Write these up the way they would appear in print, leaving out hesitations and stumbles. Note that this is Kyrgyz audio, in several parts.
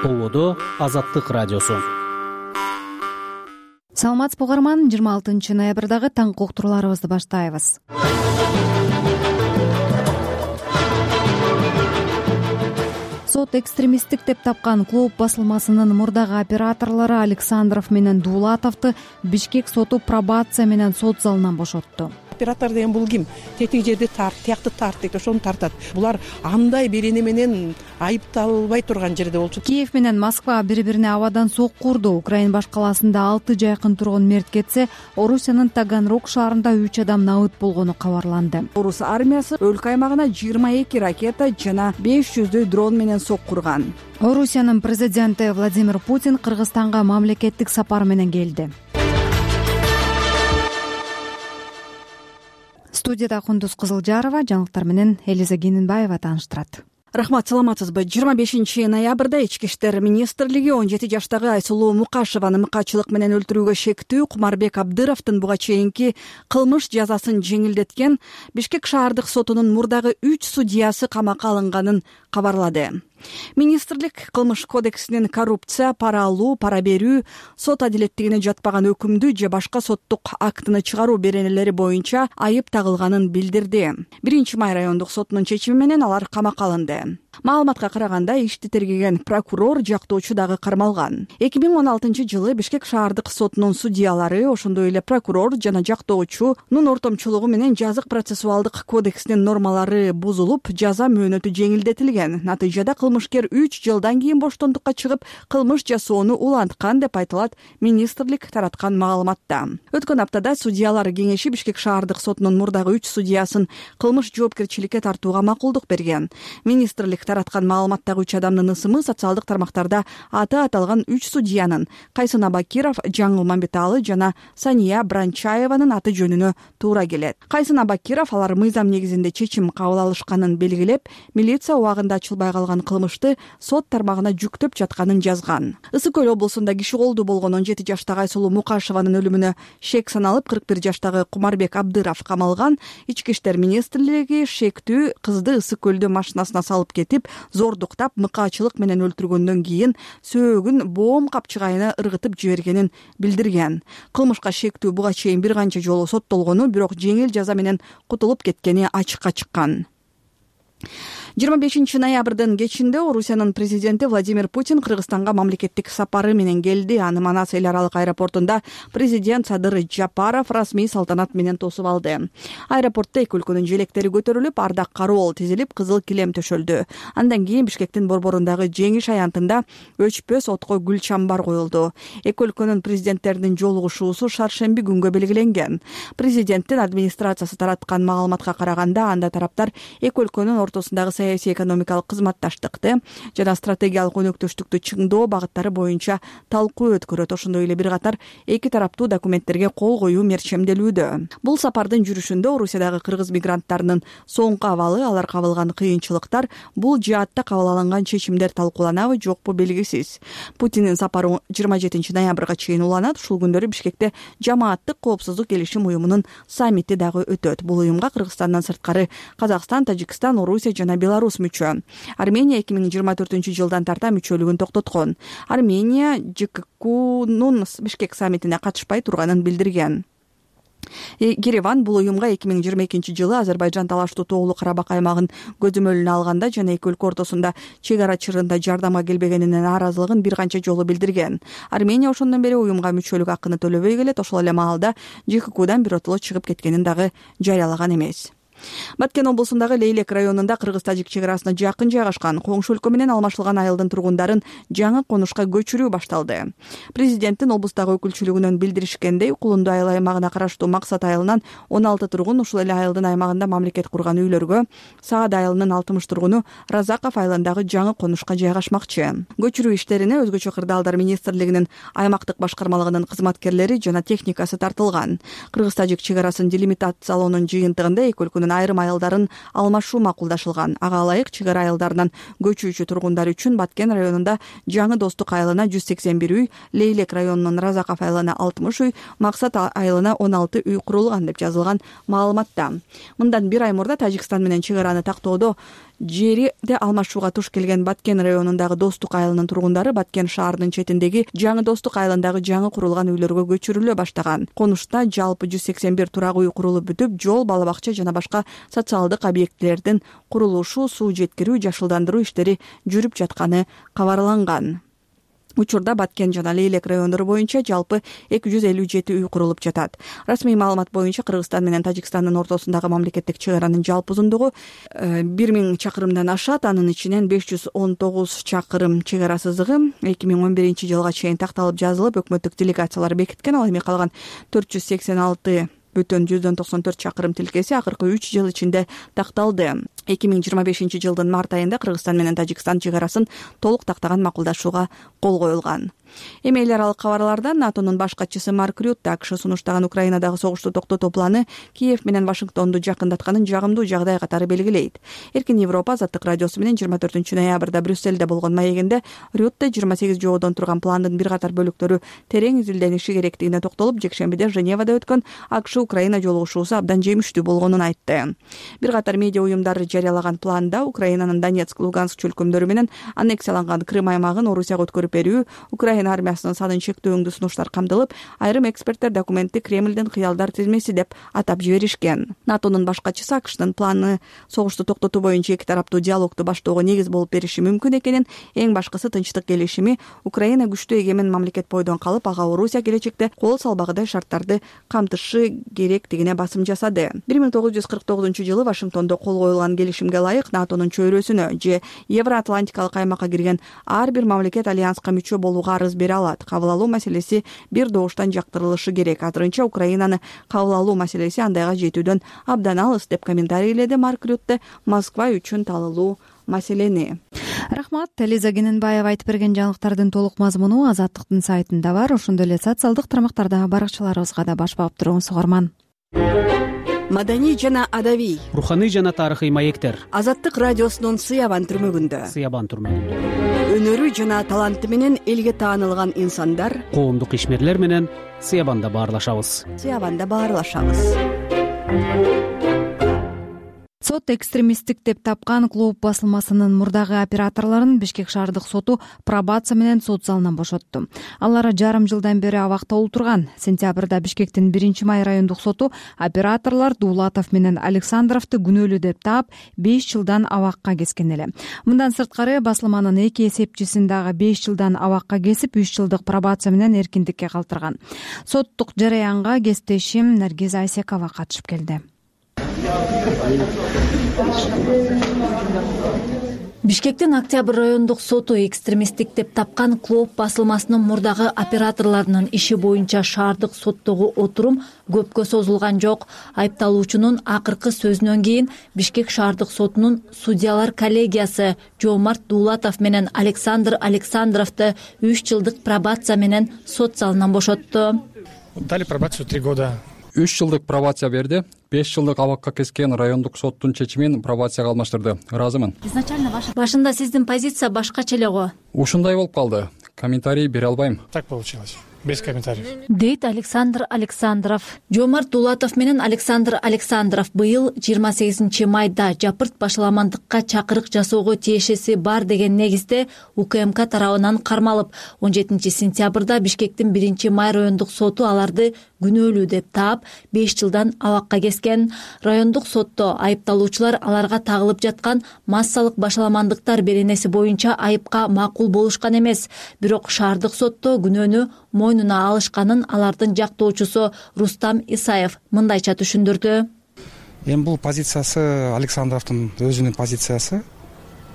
Улуудо Азаттык радиосу. Саламатсызбы угарман, 26 ноябрдагы таңкы уктурууларыбызды баштайбыз. Сот экстремисттик деп тапкан клуб басылмасынын мурдагы операторлору Александров менен Дуулатовду Бишкек соту пробация менен сот залынан бошотту. Оператор деген бул ким? Тетиги жерди тарт, тиякты тарт дейт, ошону тартат. Булар андай берене менен айыпталбай турган жерде болчу. Киев менен Москва бири-бирине абадан сокку урду. Украин баш каласында 6 жайкын тургун мерт кетсе, Орусиянын Таганрог шаарында 3 адам набыт болгону кабарланды. Орус армиясы өлкө аймагына 22 ракета жана 500 дрон менен сокку урган. Орусиянын президенти Владимир Путин Кыргызстанга мамлекеттик сапар менен келди. Студияда Кундуз Кызылжарова, жаңылыктар менен Элиза Генинбаева тааныштырат. Рахмат, саламатсызбы? 25 ноябрда Ички иштер министрлиги 17 жаштагы Айсулуу Мукашеваны мыкаачылык менен өлтүрүүгө шектүү Кумарбек Абдыровдун буга чейинки кылмыш жазасын жеңилдеткен Бишкек шаардык сотунун мурдагы 3 судьясы камакка алынганын кабарлады. Министрлик кылмыш кодексинин коррупция, пара алуу, пара берүү, сот адилеттигине жатпаган өкүмдү же башка соттук актыны чыгаруу беренелери боюнча айып тагылганын билдирди. 1-Май райондук сотунун чечими менен алар камакка алынды. Маалыматка караганда, ишти тергеген прокурор, жактоочу дагы кармалган. 2016 жылы Бишкек шаардык сотунун судьялары, ошондой эле прокурор жана жактоочунун ортомчулугу менен жазык процессуалдык кодексинин нормалары бузулуп, жаза мөөнөтү жеңилдетилген. Натыйжада кылмышкер 3 жылдан кийин боштондукка чыгып, кылмыш жасоону уланткан деп айтылат министрлик тараткан маалыматта. Өткөн аптада судьялар кеңеши Бишкек шаардык сотунун мурдагы 3 судьясын кылмыш жоопкерчиликке тартууга макулдук берген. Министрлик тараткан маалыматтагы 3 адамдын ысымы социалдык тармактарда аты аталган 3 судьянын Кайсын Абакиров, Жаңыл Мамбеталы жана Сания Бранчаеванын аты жөнүнө туура келет. Кайсын Абакиров алар мыйзам негизинде чечим кабыл алышканын белгилеп, милиция убагында ачылбай калган кылмышты сот тармагына жүктөп жатканын жазган. Ысык Көл облусунда киши колдуу болгон 17 жаштагы Айсулуу Мукашеванын өлүмүнө шек саналып, 41 жаштагы Кумарбек Абдыров камалган. Ички иштер министрлиги шектүү кызды Ысык Көлдө машинасына салып кетип, зордуктап, мыкаачылык менен өлтүргөндөн кийин сөөгүн боом капчыгайына ыргытып жибергенин билдирген. Кылмышка шектүү буга чейин бир канча жолу соттолгону, бирок жеңил жаза менен кутулуп кеткени ачыкка чыккан. 25 ноябрдын кечинде Орусиянын президенти Владимир Путин Кыргызстанга мамлекеттик сапары менен келди. Аны Манас эл аралык аэропортунда президент Садыр Жапаров расмий салтанат менен тосуп алды. Аэропортто эки өлкөнүн желектери көтөрүлүп, ардак кароол тизилип, кызыл килем төшөлдү. Андан кийин Бишкектин борборундагы жеңиш аянтында өчпөс отко гүл чамбар коюлду. Эки өлкөнүн президенттеринин жолугушуусу шаршемби күнгө белгиленген. Президенттин администрациясы тараткан маалыматка караганда, анда тараптар эки өлкөнүн ортосундагы саясий экономикалык кызматташтыкты жана стратегиялык өнөктөштүктү чыңдоо багыттары боюнча талкуу өткөрөт. Ошондой эле бир катар эки тараптуу документтерге кол коюу мерчемделүүдө. Бул сапардын жүрүшүндө Орусиядагы кыргыз мигранттарынын соңку абалы, алар кабылган кыйынчылыктар, бул жаатта кабыл алынган чечимдер талкууланабы, жокпу белгисиз. Путиндин сапары 27 ноябрга чейин уланат. Ушул күндөрү Бишкекте Жамааттык коопсуздук келишим уюмунун саммити дагы өтөт. Бул уюмга Кыргызстандан сырткары Казакстан, Тажикстан, Орусия жана Беларусь мүчө. Армения 2024 жылдан тарта мүчөлүгүн токтоткон. Армения ЖККнун Бишкек саммитине катышпай турганын билдирген. Ереван бул уюмга 2022 жылы Азербайжан талаштуу Тоолуу Карабак аймагын көзөмөлүнө алганда жана эки өлкө ортосунда чек ара чырында жардамга келбегенинен нааразылыгын бир канча жолу билдирген. Армения ошондон бери уюмга мүчөлүк акыны төлөбөй келет. Ошол эле маалда ЖККдан биротоло чыгып кеткенин дагы жарыялаган эмес. Баткен облусундагы Лейлек районунда кыргыз-тажик чек арасына жакын жайгашкан коңшу өлкө менен алмашылган айылдын тургундарын жаңы конушка көчүрүү башталды. Президенттин облустагы өкүлчүлүгүнөн билдиришкендей, Кулунду айыл аймагына караштуу Максат айылынан 16 тургун ушул эле айылдын аймагында мамлекет курган үйлөргө, Саад айылынын 60 тургуну Разаков айылындагы жаңы конушка жайгашмакчы. Көчүрүү иштерине өзгөчө кырдаалдар министрлигинин аймактык башкармалыгынын кызматкерлери жана техникасы тартылган. Кыргыз-тажик чек арасын делимитациялоонун жыйынтыгында эки өлкөнүн айрым айылдарын алмашуу макулдашылган. Ага ылайык чек ара айылдарынан көчүүчү тургундар үчүн Баткен районунда Жаңы Достук айылына 181 үй, Лейлек районунун Разаков айылына 60 үй, Максат айылына 16 үй курулган деп жазылган маалыматта. Мындан бир ай мурда Тажикстан менен чек араны тактоодо жерди алмашууга туш келген Баткен районундагы Достук айылынын тургундары Баткен шаарынын четиндеги жаңы Достук айылындагы жаңы курулган үйлөргө көчүрүлө баштаган. Конушта жалпы 181 турак үй курулуп бүтүп, жол, бала бакча жана башка социалдык объектилердин курулушу, суу жеткирүү, жашылдандыруу иштери жүрүп жатканы кабарланган. Учурда Баткен жана Лейлек райондору боюнча жалпы 257 үй курулуп жатат. Расмий маалымат боюнча Кыргызстан менен Тажикстандын ортосундагы мамлекеттик чек аранын жалпы узундугу 1000 чакырымдан ашат. Анын ичинен 519 чакырым чек ара сызыгы 2011-жылга чейин такталып жазылып, өкмөттүк делегациялар бекиткен. Ал эми калган 486,94 чакырым тилкеси акыркы 3 жыл ичинде такталды. 2025-жылдын март айында Кыргызстан менен Тажикстан чек арасын толук тактаган макулдашууга кол коюлган. Эми эл аралык кабарлардан НАТОнун баш катчысы Марк Рютте АКШ сунуштаган Украинадагы согушту токтотуу планы Киев менен Вашингтонду жакындатканын жагымдуу жагдай катары белгилейт. Эркин Европа Азаттык радиосу менен 24 ноябрда Брюссельде болгон маегинде Рютте 28 жоодон турган пландын бир катар бөлүктөрү терең изилдениши керектигине токтолуп, жекшембиде Женевада өткөн АКШ-Украина жолугушуусу абдан жемиштүү болгонун айтты. Бир катар медиа уюмдары жарыялаган планда Украинанын Донецк, Луганск чөлкөмдөрү менен аннексияланган Крым аймагын Орусияга өткөрүп берүү, Украина армиясынын санын чектөөңдүү сунуштар камтылып, айрым эксперттер документти Кремлдин кыялдар тизмеси деп атап жиберишкен. НАТОнун баш катчысы АКШнын планы согушту токтотуу боюнча эки тараптуу диалогду баштоого негиз болуп бериши мүмкүн экенин, эң башкысы тынчтык келишими, Украина күчтүү эгемен мамлекет бойдон калып, ага Орусия келечекте кол салбагыдай шарттарды камтышы керектигине басым жасады. 1949-жылы Вашингтондо кол коюлган келишимге ылайык НАТОнун чөйрөсүнө же Евроатлантикалык аймакка кирген ар бир мамлекет альянска мүчө болууга арыз бере алат. Кабыл алуу маселеси бир добуштан жактырылышы керек. Азырынча Украинаны кабыл алуу маселеси андайга жетүүдөн абдан алыс деп комментарийледи Марк Рютте Москва үчүн талылуу маселени. Рахмат. Элиза Кененбаева айтып берген жаңылыктардын толук мазмуну Азаттыктын сайтында бар. Ошондой эле социалдык тармактарда баракчаларыбызга да баш баап туруңуз, угарман. Маданий жана адабий, руханий жана тарыхый маектер. Азаттык радиосунун Сыябан түрмөгүндө. Өнөрү жана таланты менен элге таанылган инсандар, коомдук ишмерлер менен Сыябанда баарлашабыз. Сот экстремисттик деп тапкан клуб басылмасынын мурдагы операторлорун Бишкек шаардык соту пробация менен сот залынан бошотту. Алар жарым жылдан бери абакта отурган. Сентябрда Бишкектин 1-май райондук соту операторлор Дуулатов менен Александровду күнөөлүү деп таап 5 жылдан абакка кескен эле. Мындан сырткары басылманын 2 эсепчисин дагы 5 жылдан абакка кесип, 3 жылдык пробация менен эркиндикке калтырган. Соттук жараянга кесиптешим Наргиз Айсекова катышып келди. Бишкектин Октябрь райондук соту экстремисттик деп тапкан клуб басылмасынын мурдагы операторлорунун иши боюнча шаардык соттогу отурум көпкө созулган жок. Айыпталуучунун акыркы сөзүнөн кийин Бишкек шаардык сотунун судьялар коллегиясы Жоомарт Дуулатов менен Александр Александровду 3 жылдык пробация менен сот залынан бошотту. Дали пробацию 3 года. 3 жылдык пробация берди. 5 жылдык абакка кескен райондук соттун чечимин пробацияга алмаштырды. Ыраазымын. Изначально башында сиздин позиция башкача эле го. Ушундай болуп калды. Комментарий бере албайм. Так получилось. Без комментариев. Дейт Александр Александров. Жоомарт Дуулатов менен Александр Александров быйыл 28 майда жапырт башаламандыкка чакырык жасоого тиешеси бар деген негизде УКМК тарабынан кармалып, 17 сентябрда Бишкектин 1-май райондук соту аларды күнөөлүү деп таап 5 жылдан абакка кескен. Райондук сотто айыпталуучулар аларга тагылып жаткан массалык башаламандыктар беренеси боюнча айыпка макул болушкан эмес. Бирок шаардык сотто күнөөнү мойнуна алышканын алардын жактоочусу Рустам Исаев мындайча түшүндүрдү. Эми бул позициясы Александровдун өзүнүн позициясы.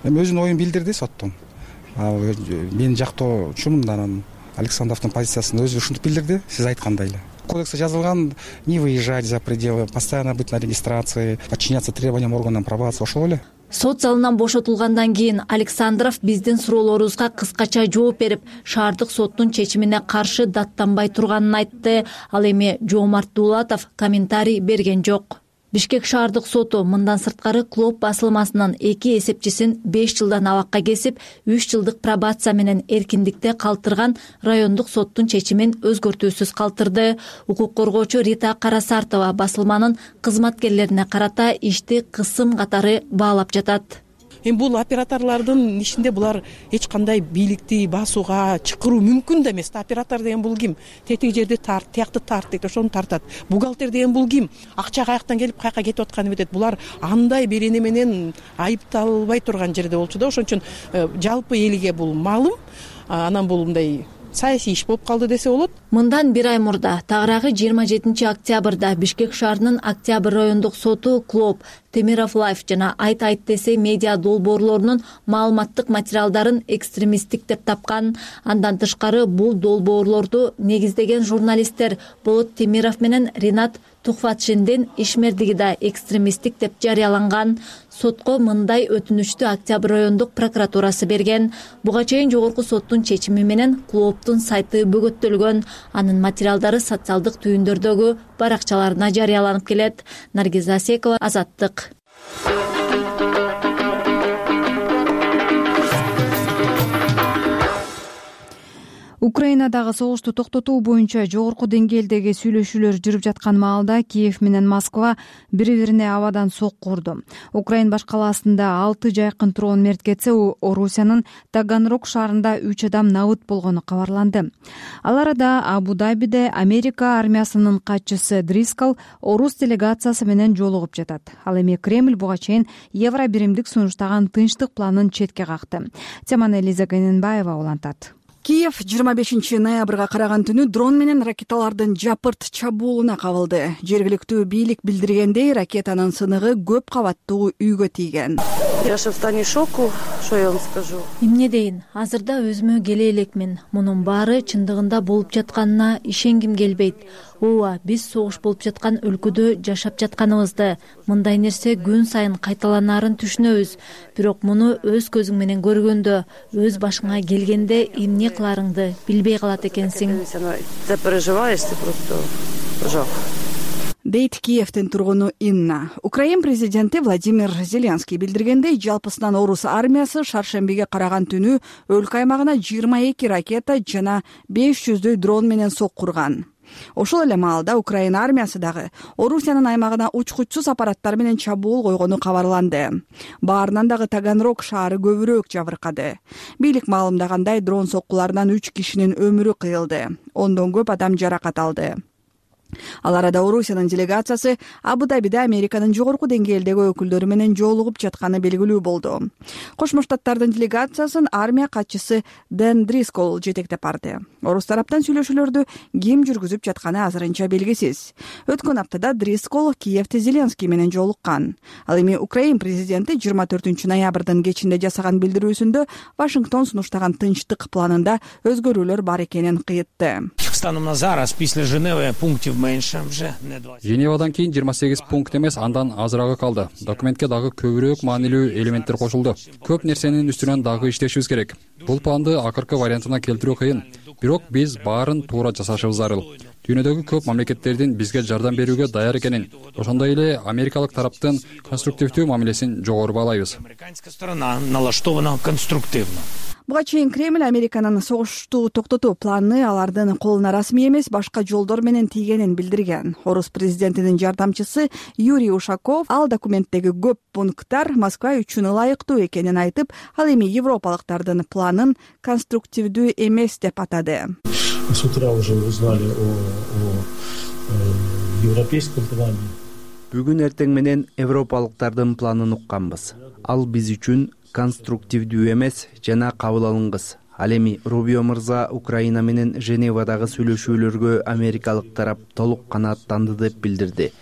Эми өзүнүн оюн билдирди соттон. Мен жактоочумун, анан Александровдун позициясын өзү ушинтип билдирди, сиз айткандай эле. Кодексте жазылган не выезжать за пределы, постоянно быть на регистрации, подчиняться требованиям органам пробации, ошол эле. Сот залынан бошотулгандан кийин Александров биздин суроолорубузга кыскача жооп берип, шаардык соттун чечимине каршы даттанбай турганын айтты. Ал эми Жоомарт Дуулатов комментарий берген жок. Бишкек шаардык соту мындан сырткары клуб басылмасынын 2 эсепчисин 5 жылдан абакка кесип, 3 жылдык пробация менен эркиндикте калтырган райондук соттун чечимин өзгөртүүсүз калтырды. Укук коргоочу Рита Карасартова басылманын кызматкерлерине карата ишти кысым катары баалап жатат. Эми бул операторлордун ишинде булар эч кандай бийликти басууга чакыруу мүмкүн да эмес. Оператор деген бул ким? Тетиги жерди тарт, тиякты тарт дейт, ошону тартат. Бухгалтер деген бул ким? Акча каяктан келип каяка кетип атканын билет. Булар андай бир эне менен айыпталбай турган жерде болчу да. Ошон үчүн жалпы элге бул маалым. Анан бул мындай саясий иш болуп калды десе болот. Мындан бир ай мурда, тагыраагы 27 октябрда Бишкек шаарынын Октябрь райондук соту Клоп, Темиров Лайф жана Айт десе медиа долбоорлорунун маалыматтык материалдарын экстремисттик деп тапкан. Андан тышкары бул долбоорлорду негиздеген журналисттер Болот Темиров менен Ринат Тухватшиндин ишмердиги да экстремисттик деп жарыяланган. Сотко мындай өтүнүчтү Октябрь райондук прокуратурасы берген. Буга чейин жогорку соттун чечими менен Клоптун сайты бөгөттөлгөн. Анын материалдары социалдык түйүндөрдөгү баракчаларына жарыяланып келет. Наргиза Асекова, Азаттык. Украинадагы согушту токтотуу боюнча жогорку деңгээлдеги сүйлөшүүлөр жүрүп жаткан маалда Киев менен Москва бири-бирине абадан сокку урду. Украин баш калаасында 6 жайкын тургун мерт кетсе, Орусиянын Таганрог шаарында 3 адам набыт болгону кабарланды. Ал арада Абу-Дабиде Америка армиясынын катчысы Дрискал орус делегациясы менен жолугуп жатат. Ал эми Кремль буга чейин Евро биримдик сунуштаган тынчтык планын четке какты. Теманы Элиза Гайненбаева улантат. Киев 25 ноябрга караган түнү дрон менен ракеталардын жапырт чабуулуна кабылды. Жергиликтүү бийлик билдиргендей, ракетанын сыныгы көп кабаттуу үйгө тийген. Я в состоянии шоку, что я вам скажу. Эмне дейин, азырда өзүмө келе элекмин. Мунун баары чындыгында болуп жатканына ишенгим келбейт. Ооба, биз согуш болуп жаткан өлкөдө жашап жатканыбызды, мындай нерсе күн сайын кайталанаарын түшүнөбүз. Бирок муну өз көзүң менен көргөндө, өз башыңа келгенде эмне кыларыңды билбей калат экенсиң. Ты переживаешь, ты просто жок. Дейт Киевдин тургуну Инна. Украин президенти Владимир Зеленский билдиргендей, жалпысынан орус армиясы шаршембиге караган түнү өлкө аймагына 22 ракета жана 500 дрон менен соккурган. Ошол эле маалда Украин армиясы дагы Орусиянын аймагына учкучсуз аппараттар менен чабуул койгону кабарланды. Баарынан дагы Таганрог шаары көбүрөөк жабыркады. Бийлик маалымдагандай, дрон соккуларынан 3 кишинин өмүрү кыйылды. Ондон көп адам жаракат алды. Ал арада Орусиянын делегациясы Абу-Дабиде Американын жогорку деңгээлдеги өкүлдөрү менен жолугуп жатканы белгилүү болду. Кошмо Штаттардын делегациясын армия катчысы Дэн Дрискол жетектеп барды. Орус тараптан сүйлөшүүлөрдү ким жүргүзүп жатканы азырынча белгисиз. Өткөн аптада Дрискол Киевде Зеленский менен жолуккан. Ал эми Украин президенти 24 ноябрдын кечинде жасаган билдирүүсүндө Вашингтон сунуштаган тынчтык планында өзгөрүүлөр бар экенин кыйтты. Станом на зараз після Женеви пунктів менше вже не 20. Женевадан кийин 28 пункт эмес, андан азырагы калды. Документке дагы көбүрөөк маанилүү элементтер кошулду. Көп нерсенин үстүнөн дагы иштешибиз керек. Бул планды акыркы вариантына келтирүү кыйын. Бирок биз баарын туура жасашыбыз зарыл. Дүйнөдөгү көп мамлекеттердин бизге жардам берүүгө даяр экенин, ошондой эле америкалык тараптын конструктивдүү мамилесин жогору баалайбыз. Американська сторона налаштована конструктивно. Буга чейин Кремль Американын согушту токтотуу планы алардын колуна расмий эмес, башка жолдор менен тийгенин билдирген. Орус президентинин жардамчысы Юрий Ушаков ал документтеги көп пункттар Москва үчүн ылайыктуу экенин айтып, ал эми европалыктардын планын конструктивдүү эмес деп атады. С утра уже узнали о европейском плане. Бүгүн эртең менен европалыктардын планын укканбыз. Ал биз үчүн конструктивдүү эмес жана кабыл алынгыс. Ал эми Рубио мырза Украина менен Женевадагы сүйлөшүүлөргө америкалык тарап толук канааттанды деп билдирди.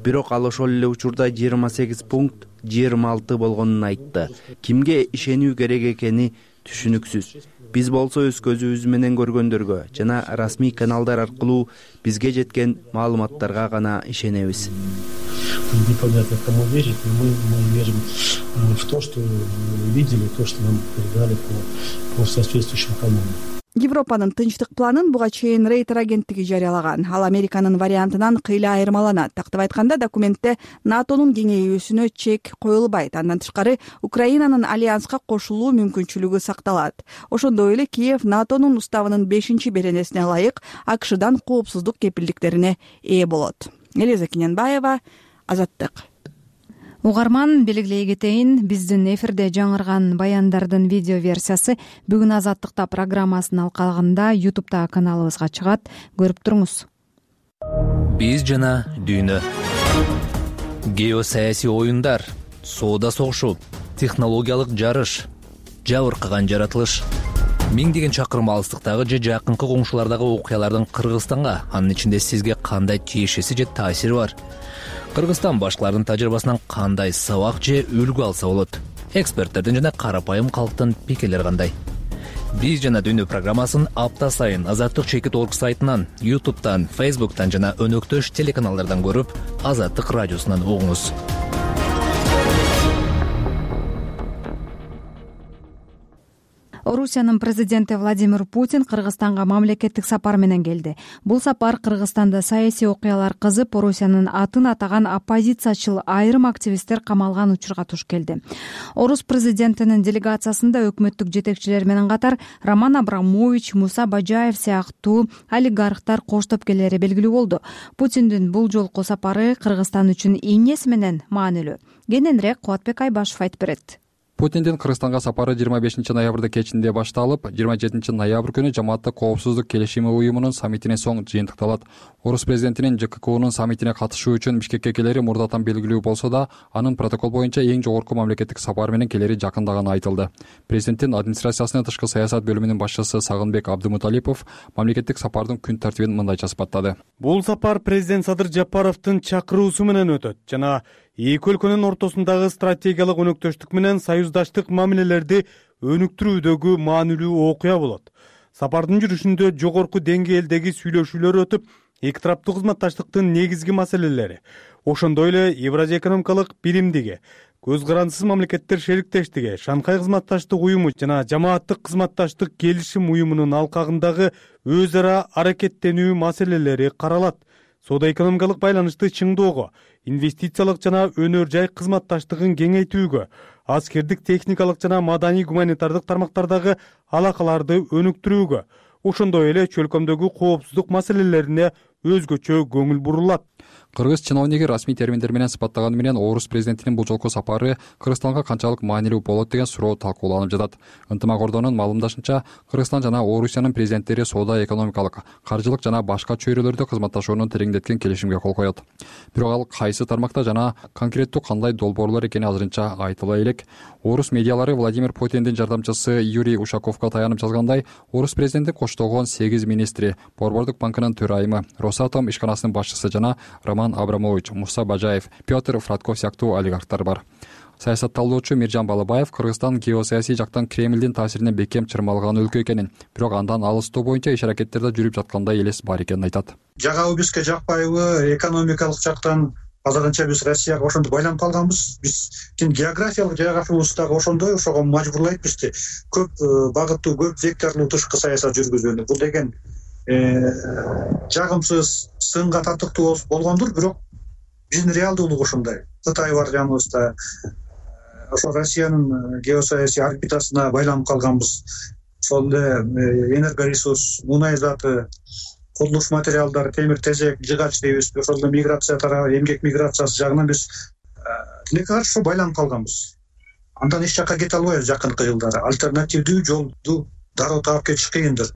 Бирок ал ошол эле учурда 28 пункт 26 болгонун айтты. Кимге ишенүү керек экени түшүнүксүз. Биз болсо өз көзүбүз менен көргөндөргө жана расмий каналдар аркылуу бизге жеткен маалыматтарга гана ишенебиз. Непонятно, кому верить, но мы верим в то, что видели, то, что нам передали по соответствующим каналам. Европанын тынчтык планын буга чейин Рейтер агенттиги жарыялаган. Ал Американын вариантынан кыйла айырмаланат. Тактап айтканда, документте НАТОнун кеңейүүсүнө чек коюлбайт. Андан тышкары Украинанын альянска кошулуу мүмкүнчүлүгү сакталат. Ошондой эле Киев НАТОнун уставынын 5-беренесине ылайык АКШдан коопсуздук кепилдиктерине ээ болот. Элиза Кененбаева, Азаттык. угарман белгилей кетейин, биздин эфирде жаңырган баяндардын видео версиясы бүгүн Азаттыкта программасынын алкагында YouTube'да каналыбызга чыгат, көрүп туруңуз. Биз жана дүйнө. Геосаясий оюндар, соода согушу, технологиялык жарыш, жабыркаган жаратылыш. Миңдеген чакырым алыстыктагы же жакынкы коңшулардагы окуялардын Кыргызстанга, анын ичинде сизге кандай тиешеси же таасири бар? Кыргызстан башкалардын тажрыйбасынан кандай сабак же үлгү алса болот? Эксперттердин жана карапайым калктын пикирлери кандай? Биз жана дүйнө программасын апта сайын Азаттык.org сайтынан, YouTube'дан, Facebook'тан жана өнөктөш телеканалдардан көрүп, Азаттык радиосунан угуңуз. Орусиянын президенти Владимир Путин Кыргызстанга мамлекеттик сапар менен келди. Бул сапар Кыргызстанда саясий окуялар кызып, Орусиянын атын атаган оппозициячыл айрым активисттер камалган учурга туш келди. Орус президентинин делегациясында өкмөттүк жетекчилер менен катар Роман Абрамович, Муса Бажаев сыяктуу олигархтар коштоп келери белгилүү болду. Путиндин бул жолку сапары Кыргызстан үчүн эмнеси менен маанилүү? Кененирээк Кубатбек Айбашев айтып берет. Путиндин Кыргызстанга сапары 25 ноябрда кечинде башталып, 27 ноябрь күнү Жамааттык коопсуздук келишими уюмунун саммитинен соң жыйынтыкталат. Орус президентинин ЖККнун саммитине катышуу үчүн Бишкекке келери мурдатан белгилүү болсо да, анын протокол боюнча эң жогорку мамлекеттик сапар менен келери жакындаганы айтылды. Президенттин администрациясынын тышкы саясат бөлүмүнүн башчысы Сагынбек Абдымуталипов мамлекеттик сапардын күн тартибин мындайча сыпаттады. Бул сапар президент Садыр Жапаровдун чакыруусу менен өтөт жана эки өлкөнүн ортосундагы стратегиялык өнөктөштүк менен союздаштык мамилелерди өнүктүрүүдөгү маанилүү окуя болот. Сапардын жүрүшүндө жогорку деңгээлдеги сүйлөшүүлөр өтүп, эки тараптуу кызматташтыктын негизги маселелери, ошондой эле Евразия экономикалык биримдиги, көз карандысыз мамлекеттер шериктештиги, Шанхай кызматташтык уюму жана Жамааттык кызматташтык келишим уюмунун алкагындагы өз ара аракеттенүү маселелери каралат. Соода-экономикалык байланышты чыңдоого, инвестициялык жана өнөр жай кызматташтыгын кеңейтүүгө, аскердик, техникалык жана маданий гуманитардык тармактардагы алакаларды өнүктүрүүгө, ошондой эле чөлкөмдөгү коопсуздук маселелерине өзгөчө көңүл бурулат. Кыргыз чиновниги расмий терминдер менен сыпаттаганы менен Орус президентинин бул жолку сапары Кыргызстанга канчалык маанилүү болот деген суроо талкууланып жатат. Ынтымак Ордонун маалымдашынча, Кыргызстан жана Орусиянын президенттери соода, экономикалык, каржылык жана башка чөйрөлөрдө кызматташууну тереңдеткен келишимге кол коет. Бирок ал кайсы тармакта жана конкреттүү кандай долбоорлор экени азырынча айтыла элек. Орус медиалары Владимир Путиндин жардамчысы Юрий Ушаковго таянып жазгандай, Орус президенти коштогон 8 министри, Борбордук банкынын төрайымы, Росатом ишканасынын башчысы жана Роман Абрамович, Муса Бажаев, Петр Фратков сыяктуу олигархтар бар. Саясатталуучу Миржан Балабаев Кыргызстан геосаясий жактан Кремлдин таасиринен бекем чырмалган өлкө экенин, бирок андан алыстоо боюнча иш-аракеттерде жүрүп жаткандай элес бар экенин айтат. Жагабы бизге жакпайбы, экономикалык жактан азырынча биз Россияга ошондо байланып калганбыз. Биздин географиялык жайгашуубуз дагы ошондой, ошого мажбурлайт бизди көп багыттуу, көп векторлуу тышкы саясат жүргүзүүнү. Бул деген жагымсыз, сынга татыктуу болгондур, бирок биздин реалдуулук ошондой. Кытай бар жаныбызда, ошо Россиянын геосаясий орбитасына байланып калганбыз. Ошол эле энергоресурс, мунай заты, курулуш материалдары, темир тезек, жыгач дейбиз. Ошол эле миграция тарабы, эмгек миграциясы жагынан биз тилекке каршы байланып калганбыз. Андан эч жакка кете албайбыз жакынкы жылдары. Альтернативдүү жолду дароо таап кетиш кыйындыр.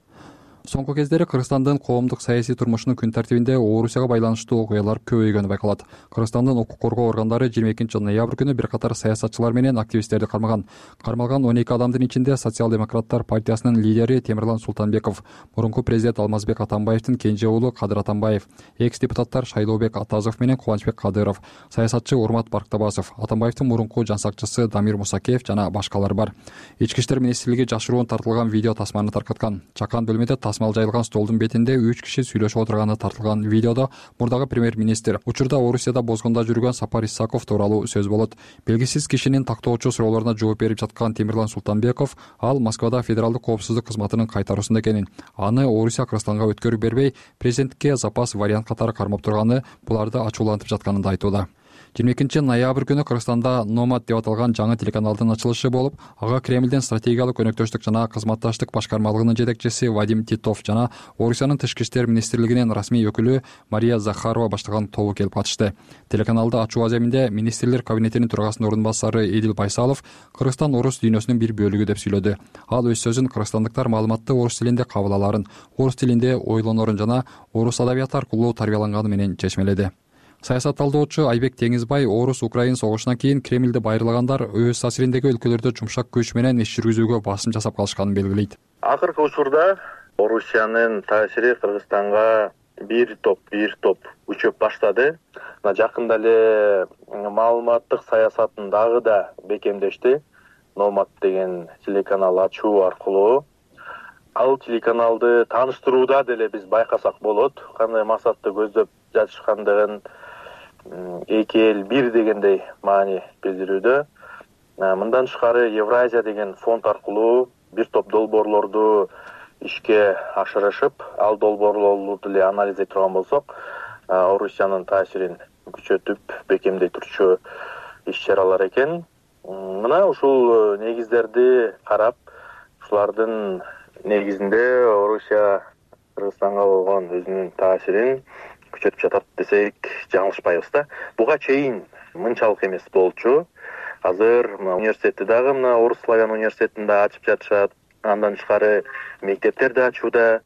Соңку кездери Кыргызстандын коомдук саясий турмушунун күн тартибинде Орусияга байланыштуу окуялар көбөйгөнү байкалат. Кыргызстандын укук коргоо органдары 22 ноябрь күнү бир катар саясатчылар менен активисттерди кармаган. Кармалган 12 адамдын ичинде социал-демократтар партиясынын лидери Темирлан Султанбеков, мурунку президент Алмазбек Атамбаевдин кенже уулу Кадыр Атамбаев, экс-депутаттар Шайлообек Атазов менен Кубанычбек Кадыров, саясатчы Урмат Барктабасов, Атамбаевдин мурунку жансакчысы Дамир Мусакеев жана башкалар бар. Ички иштер министрлиги жашыруун тартылган видео тасманы таркаткан. Чакан бөлмөдө тасмал жайылган столдун бетинде 3 киши сүйлөшүп отурганы тартылган видеодо мурдагы премьер-министр учурда Орусияда бозгунда жүргөн Сапар Исаков тууралуу сөз болот. Белгисиз кишинин тактоочу суроолоруна жооп берип жаткан Темирлан Султанбеков ал Москвада федералдык коопсуздук кызматынын кайтаруусунда экенин, аны Орусия Кыргызстанга өткөрүп бербей, президентке запас вариант катары кармап турганы буларды ачуулантып жатканын да айтууда. 22 күнү Кыргызстанда Номад деп аталган жаңы телеканалдын ачылышы болуп, ага Кремлдин стратегиялык өнөктөштүк жана кызматташтык башкармалыгынын жетекчиси Вадим Титов жана Орусиянын Тышкы иштер министрлигинин расмий өкүлү Мария Захарова баштаган тобу келип катышты. Телеканалды ачуу аземинде министрлер кабинетинин төрагасынын орун басары Эдил Байсалов Кыргызстан орус дүйнөсүнүн бир бөлүгү деп сүйлөдү. Ал өз сөзүн кыргызстандыктар маалыматты орус тилинде кабыл аларын, орус тилинде ойлонорун жана орус адабияты аркылуу тарбияланганы менен чечмеледи. Саясат талдоочу Айбек Теңизбай орус-украин согушунан кийин Кремлди байырлагандар өз таасириндеги өлкөлөрдө жумшак күч менен иш жүргүзүүгө басым жасап калышканын белгилейт. Акыркы учурда Орусиянын таасири Кыргызстанга бир топ күчөп баштады. Жакында эле маалыматтык саясатын дагы да бекемдешти. Номад деген телеканал ачуу аркылуу ал телеканалды тааныштырууда деле биз байкасак болот. Кандай максатты көздөп жатышкандыгын эки эл бир дегендей маани билдирүүдө. Мындан тышкары Евразия деген фонд аркылуу бир топ долбоорлорду ишке ашырышып, ал долбоорлорду деле анализ этип турган болсок, Орусиянын таасирин күчөтүп, бекемдей турчу иш-чаралар экен. Мына ушул негиздерди карап, ушулардын негизинде Орусия Кыргызстанга болгон өзүнүн таасирин күчөтүп жатат десек жаңылышпайбыз да. Буга чейин мынчалык эмес болчу. Азыр университетти дагы Орус славян университетинде ачып жатышат. Андан тышкары мектептерди ачууда.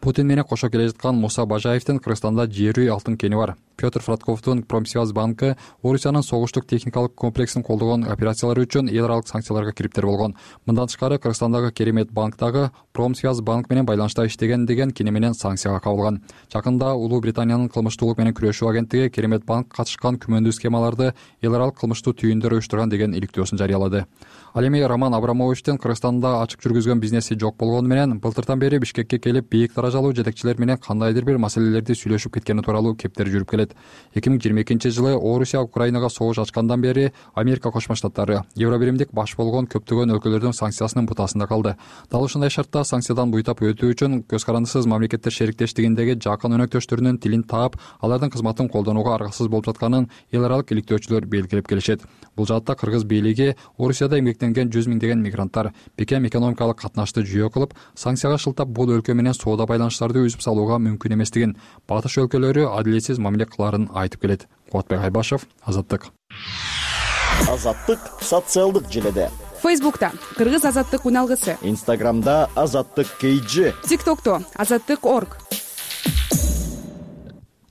Путин менен кошо келе жаткан Муса Бажаевдин Кыргызстанда жери алтын кени бар. Петр Фратковдун Промсвязь банкы Орусиянын согуштук техникалык комплексин колдогон операциялары үчүн эл аралык санкцияларга кириптер болгон. Мындан тышкары Кыргызстандагы Керемет банк дагы Промсвязь банк менен байланышта иштеген деген кини менен санкцияга кабылган. Жакында Улуу Британиянын кылмыштуулук менен күрөшүү агенттиги Керемет банк катышкан күмөндүү схемаларды эл аралык кылмыштуу түйүндөр уюштурган деген иликтөөсүн жарыялады. Ал эми Роман Абрамовичтин Кыргызстанда ачык жүргүзгөн бизнеси жок болгону менен былтыртан бери Бишкекке келип бийик даражалуу жетекчилер менен кандайдыр бир маселелерди сүйлөшүп кеткени тууралуу кептер жүрүп келет. 2022-жылы Орусия Украинага согуш ачкандан бери Америка Кошмо Штаттары Евробиримдик баш болгон көптөгөн өлкөлөрдүн санкциясынын бутасында калды. Дал ушундай шартта санкциядан буйтап өтүү үчүн көз карандысыз мамлекеттер шериктештигиндеги жакын өнөктөштөрүнүн тилин таап, алардын кызматын колдонууга аргасыз болуп жатканын эл аралык иликтөөчүлөр белгилеп келишет. Бул жаатта кыргыз бийлиги Орусияда эмгектенген 100 миңдеген мигранттар бекем экономикалык катнашты жүйө кылып, санкцияга шылтап бул өлкө менен соода байланыштарды үзүп салууга мүмкүн эместигин, батыш өлкөлөрү адилетсиз мамиле кыларын айтып келет. Кубатбек Айбашев, Азаттык. Азаттык социалдык желеде. Фейсбукта Кыргыз Азаттык уналгысы. Инстаграмда Азаттык KG. ТикТокто Азаттык.org.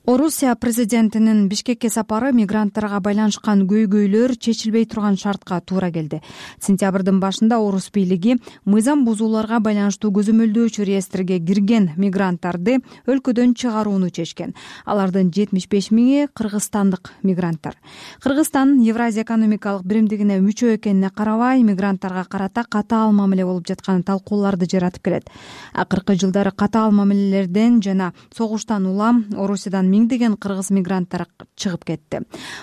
Орусия президентинин Бишкекке сапары мигранттарга байланышкан көйгөйлөр чечилбей турган шартка туура келди. Сентябрдын башында орус бийлиги мыйзам бузууларга байланыштуу көзөмөлдөөчү реестрге кирген мигранттарды өлкөдөн чыгарууну чечкен. Алардын 75 миңи кыргызстандык мигранттар. Кыргызстан Евразия экономикалык биримдигине мүчө экенине карабай, мигранттарга карата катаал мамиле болуп жаткан талкууларды жаратып келет. Акыркы жылдары катаал мамилелерден жана согуштан улам Орусиядан миңдеген кыргыз мигранттар чыгып кетти.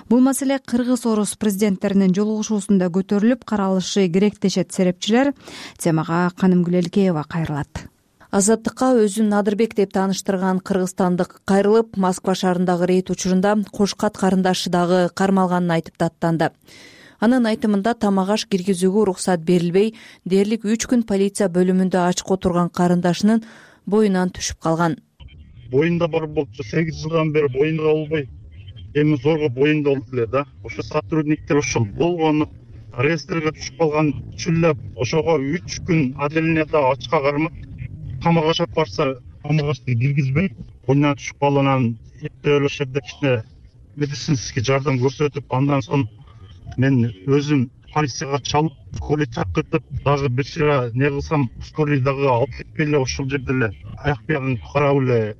Бул маселе кыргыз-орус президенттеринин жолугушуусунда көтөрүлүп каралышы керек дешет серепчилер. Темага Канымгүл Элкеева кайрылат. Азаттыкка өзүн Надырбек деп тааныштырган кыргызстандык кайрылып, Москва шаарындагы рейд учурунда Кошкат карындашы дагы кармалганын айтып даттанды. Анын айтымында тамак аш киргизүүгө уруксат берилбей, дээрлик 3 күн полиция бөлүмүндө ачык отурган карындашынын боюнан түшүп калган. Боюнда бар болчу 8 жылдан бери боюнда болбой, эми зорго боюнда болуп эле да. Ошо сотрудниктер ошол болгону реестрге түшүп калган үчүн эле ошого 3 күн отделениеда ачка кармап, камакка чап барса, камакка киргизбей, боюндан түшүп калганан эптеп ошол жерде кичине медицинский жардам көрсөтүп, андан соң мен өзүм полицияга чалып, скорый чакыртып, дагы бир чыга не кылсам, скорый дагы алып кетпей эле ошол жерде эле аяк биягын карап эле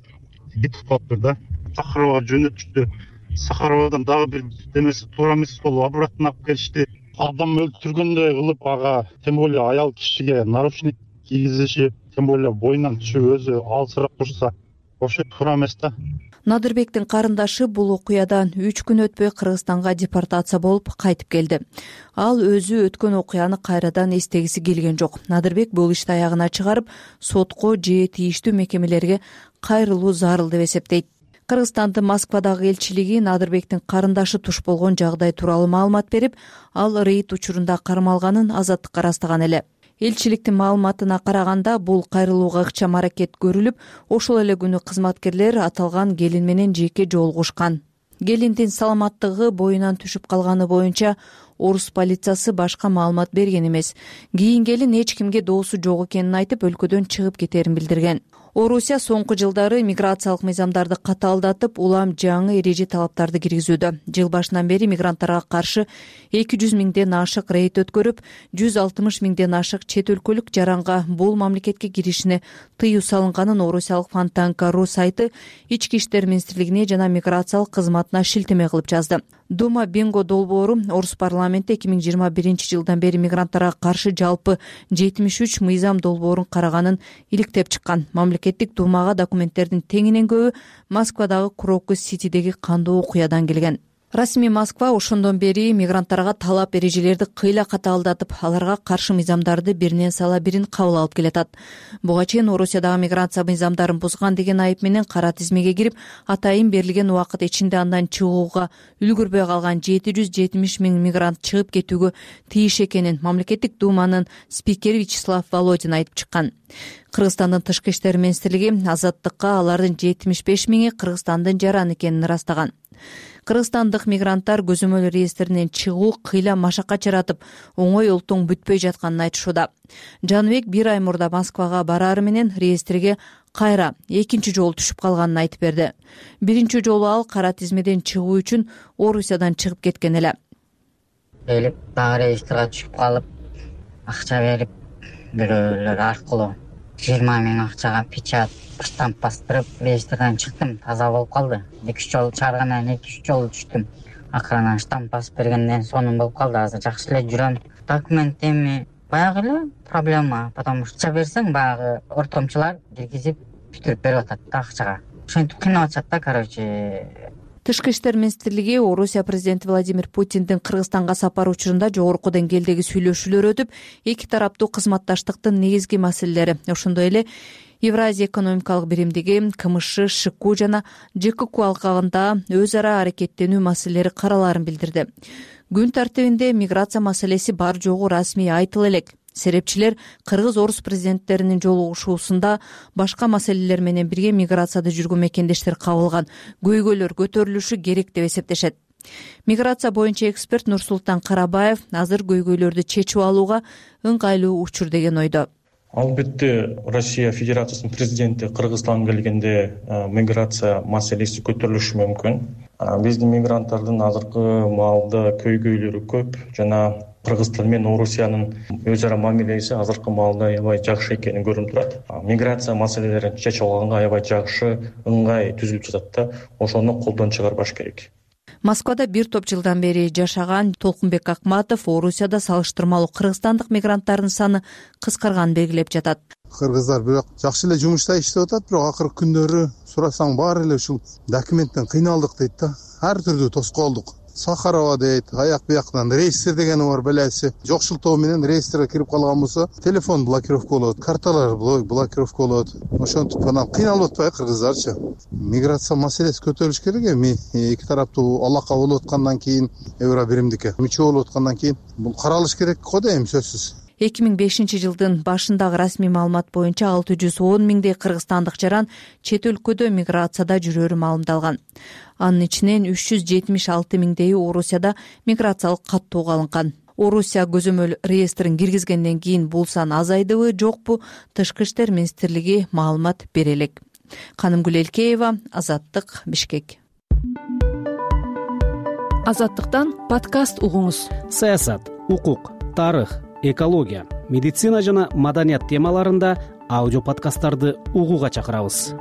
кетип калыптыр да. Сахарова жөнөтүштү. Сахаровадан дагы бир демеси туура эмес болуп, обратно алып келишти. Адам өлтүргөндөй кылып ага, тем более аял кишиге наручник кийгизиши, тем более боюнан түшүп өзү алсырап турса, ошо туура эмес да. Надырбектин карындашы бул окуядан 3 күн өтпөй Кыргызстанга депортация болуп кайтып келди. Ал өзү өткөн окуяны кайрадан эстегиси келген жок. Надырбек бул ишти аягына чыгарып, сотко же тийиштүү мекемелерге кайрылуу зарыл деп эсептейт. Кыргызстандын Москвадагы элчилиги Надырбектин карындашы туш болгон жагдай тууралуу маалымат берип, ал рейд учурунда кармалганын Азаттыкка ырастаган эле. Элчиликтин маалыматына караганда, бул кайрылууга ыкчам аракет көрүлүп, ошол эле күнү кызматкерлер аталган келин менен жеке жолугушкан. Келиндин саламаттыгы боюнан түшүп калганы боюнча орус полициясы башка маалымат берген эмес. Кийин келин эч кимге доосу жок экенин айтып, өлкөдөн чыгып кетерин билдирген. Орусия соңку жылдары миграциялык мыйзамдарды катаалдатып, улам жаңы эреже талаптарды киргизүүдө. Жыл башынан бери мигранттарга каршы 200 миңден ашык рейд өткөрүп, 160 миңден ашык чет өлкөлүк жаранга бул мамлекетке киришине тыюу салынганын орусиялык Фонтанка.ру сайты Ички иштер министрлигине жана миграциялык кызматына шилтеме кылып жазды. Дума Бинго долбоору орус парламенти 2021-жылдан бери мигранттарга каршы жалпы 73 мыйзам долбоорун караганын иликтеп чыккан. Мамлекеттик думага документтердин теңинен көбү Москвадагы Крокус-Ситидеги кандуу окуядан келген. Расмий Москва ошондон бери мигранттарга талап эрежелерди кыйла катаалдатып, аларга каршы мыйзамдарды биринен сала бирин кабыл алып келатат. Буга чейин Орусиядагы миграция мыйзамдарын бузган деген айып менен кара тизмеге кирип, атайын берилген убакыт ичинде андан чыгууга үлгүрбөй калган 770 миң мигрант чыгып кетүүгө тийиш экенин мамлекеттик думанын спикери Вячеслав Володин айтып чыккан. Кыргызстандын тышкы иштер министрлиги Азаттыкка алардын 75 миңи Кыргызстандын жараны экенин ырастаган. Кыргызстандык мигранттар көзөмөл реестринен чыгуу кыйла машакат жаратып, оңой олтуң бүтпөй жатканын айтышууда. Жаныбек 1 ай мурда Москвага барары менен реестрге кайра экинчи жолу түшүп калганын айтып берди. Биринчи жолу ал кара тизмеден чыгуу үчүн Орусиядан чыгып кеткен эле. Келип, дагы реестрге түшүп калып, акча берип, бирөөлөр аркылуу 20 миң акчага печат штамп бастырып, реестрден чыктым. Таза болуп калды. 2-3 жолу чыгаргандан 2-3 жолу түштүм. Акырынан штамп басып бергенден сонун болуп калды. Азыр жакшы эле жүрөм. Документ эми баягы эле проблема, потому что акча берсең, баягы ортомчулар киргизип бүтүрүп берип атат да акчага. Ошентип кыйнап атышат да, короче. Тышкы иштер министрлиги Орусия президенти Владимир Путиндин Кыргызстанга сапары учурунда жогорку деңгээлдеги сүйлөшүүлөр өтүп, эки тараптуу кызматташтыктын негизги маселелери, ошондой эле Евразия экономикалык биримдиги, КМШ, ШКУ жана ЖКК алкагында өз ара аракеттенүү маселелери караларын билдирди. Күн тартибинде миграция маселеси бар жогу расмий айтыла элек. Серепчилер кыргыз-орус президенттеринин жолугушуусунда башка маселелер менен бирге миграцияда жүргөн мекендештер кабылган көйгөйлөр көтөрүлүшү керек деп эсептешет. Миграция боюнча эксперт Нурсултан Карабаев азыр көйгөйлөрдү чечип алууга ыңгайлуу учур деген ойдо. Албетте, Россия Федерациясынын президенти Кыргызстанга келгенде миграция маселеси көтөрүлүшү мүмкүн. Биздин мигранттардын азыркы маалда көйгөйлөрү көп жана Кыргызстан менен Орусиянын өз ара мамилеси азыркы маалда аябай жакшы экени көрүнүп турат. Миграция маселелерин чечип алганга аябай жакшы ыңгай түзүлүп жатат да, ошону колдон чыгарбаш керек. Москвада бир топ жылдан бери жашаган Толкунбек Акматов Орусияда салыштырмалуу кыргызстандык мигранттардын саны кыскарганын белгилеп жатат. Кыргыздар бирок жакшы эле жумушта иштеп атат, бирок акыркы күндөрү сурасаң баары эле ушул документтен кыйналдык дейт да. Ар түрдүү тоскоолдук. Сахарова дейт, аяк бияктан реестр дегени бар белеси. Жокшултоо менен реестрге кирип калган болсо, телефон блокировка болот, карталар блокировка болот. Ошентип анан кыйналып атпайбы кыргыздарчы? Миграция маселеси көтөрүлүш керек эми. Эки тараптуу алака болуп аткандан кийин, евро биримдикке мүчө болуп аткандан кийин бул каралыш керек го дейм, сөзсүз. 2005-жылдын башындагы расмий маалымат боюнча 610 миңдей кыргызстандык жаран чет өлкөдө миграцияда жүрөрү маалымдалган. Анын ичинен 376 миңдейи Орусияда миграциялык каттоого алынган. Орусия көзөмөл реестрин киргизгенден кийин бул сан азайдыбы, жокпу, Тышкы иштер министрлиги маалымат бере элек. Канымгүл Элкеева, Азаттык, Бишкек. Азаттыктан подкаст угуңуз. Саясат, укук, тарых, экология, медицина жана маданият темаларында аудио подкасттарды угууга чакырабыз.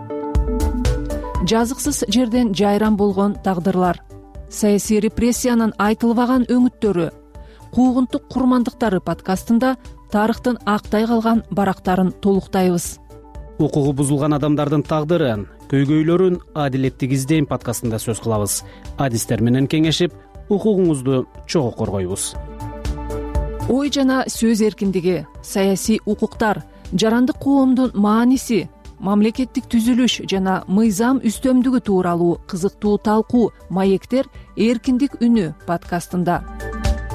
Жазыксыз жерден жайран болгон тагдырлар, саясий репрессиянын айтылбаган өңүттөрү, куугунтук курмандыктары подкастында тарыхтын актай калган барактарын толуктайбыз. Укугу бузулган адамдардын тагдырын, көйгөйлөрүн адилеттик издейм подкастында сөз кылабыз. Адистер менен кеңешип, укугуңузду чогуу коргойбуз. Ой жана сөз эркиндиги, саясий укуктар, жарандык коомдун мааниси, мамлекеттик түзүлүш жана мыйзам үстөмдүгү тууралуу кызыктуу талкуу «Маектер. Эркиндик үнү» подкастында.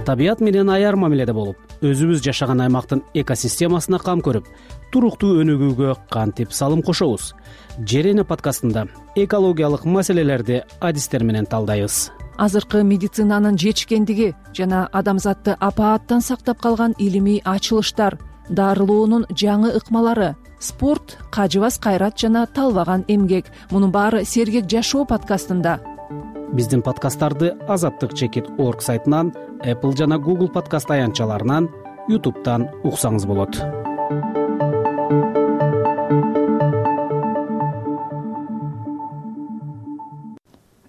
Табият менен аяр мамиледе болуп, өзүбүз жашаган аймактын экосистемасына кам көрүп, туруктуу өнүгүүгө кантип салым кошобуз? Жер эне подкастында экологиялык маселелерди адистер менен талдайбыз. Азыркы медицинанын жетишкендиги жана адамзатты апааттан сактап калган илимий ачылыштар, дарылоонун жаңы ыкмалары, спорт, кажыбас кайрат жана талбаган эмгек — мунун баары «Сергек жашоо» подкастында. Биздин подкасттарды azattik.org сайтынан, Apple жана Google подкаст аянтчаларынан, YouTube'дан уксаңыз болот.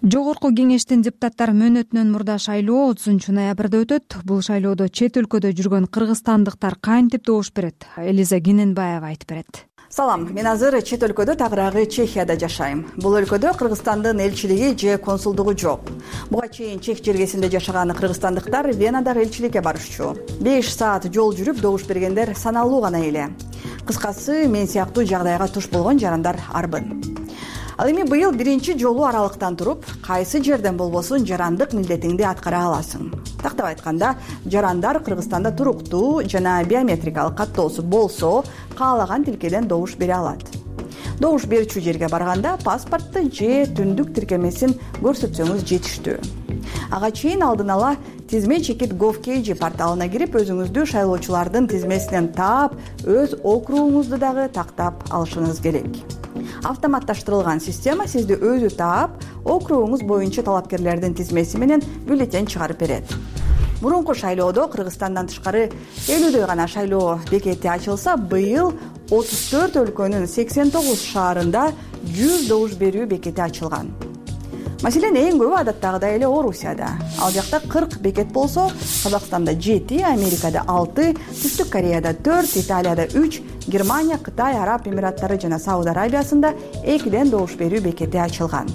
Жогорку кеңештин депутаттар мөөнөтүнөн мурда шайлоо 30 ноябрда өтөт. Бул шайлоодо чет өлкөдө жүргөн кыргызстандыктар кантип добуш берет? Элиза Гененбаева айтып берет. Салам, мен азыр чет өлкөдө, тагыраагы Чехияда жашайм. Бул өлкөдө Кыргызстандын элчилиги же консулдугу жок. Буга чейин Чех жергесинде жашаган кыргызстандыктар Венадагы элчиликке барышчу. 5 саат жол жүрүп добуш бергендер саналуу гана эле. Кыскасы, мен сыяктуу жагдайга туш болгон жарандар арбын. Ал эми быйыл биринчи жолу аралыктан туруп, кайсы жерден болбосун жарандык милдетиңди аткара аласың. Тактап айтканда, жарандар Кыргызстанда туруктуу жана биометрикалык каттоосу болсо, каалаган тилкеден добуш бере алат. Добуш берүүчү жерге барганда паспортту же түндүк тиркемесин көрсөтсөңүз жетиштүү. Ага чейин алдын ала тизме чекит gov.kg порталына кирип, өзүңүздү шайлоочулардын тизмесинен таап, өз округуңузду дагы тактап алышыңыз керек. Автоматташтырылган система сизди өзү таап, округуңуз боюнча талапкерлердин тизмеси менен бюллетень чыгарып берет. Мурунку шайлоодо Кыргызстандан тышкары 50дөй гана шайлоо бекети ачылса, быйыл 34 өлкөнүн 89 шаарында 100 добуш берүү бекети ачылган. Маселен, эң көбү адаттагыдай эле Орусияда. Ал жакта 40 бекет болсо, Казакстанда 7, Америкада 6, Түштүк Кореяда 4, Италияда 3, Германия, Кытай, Араб Эмираттары жана Сауд Арабиясында 2ден добуш берүү бекети ачылган.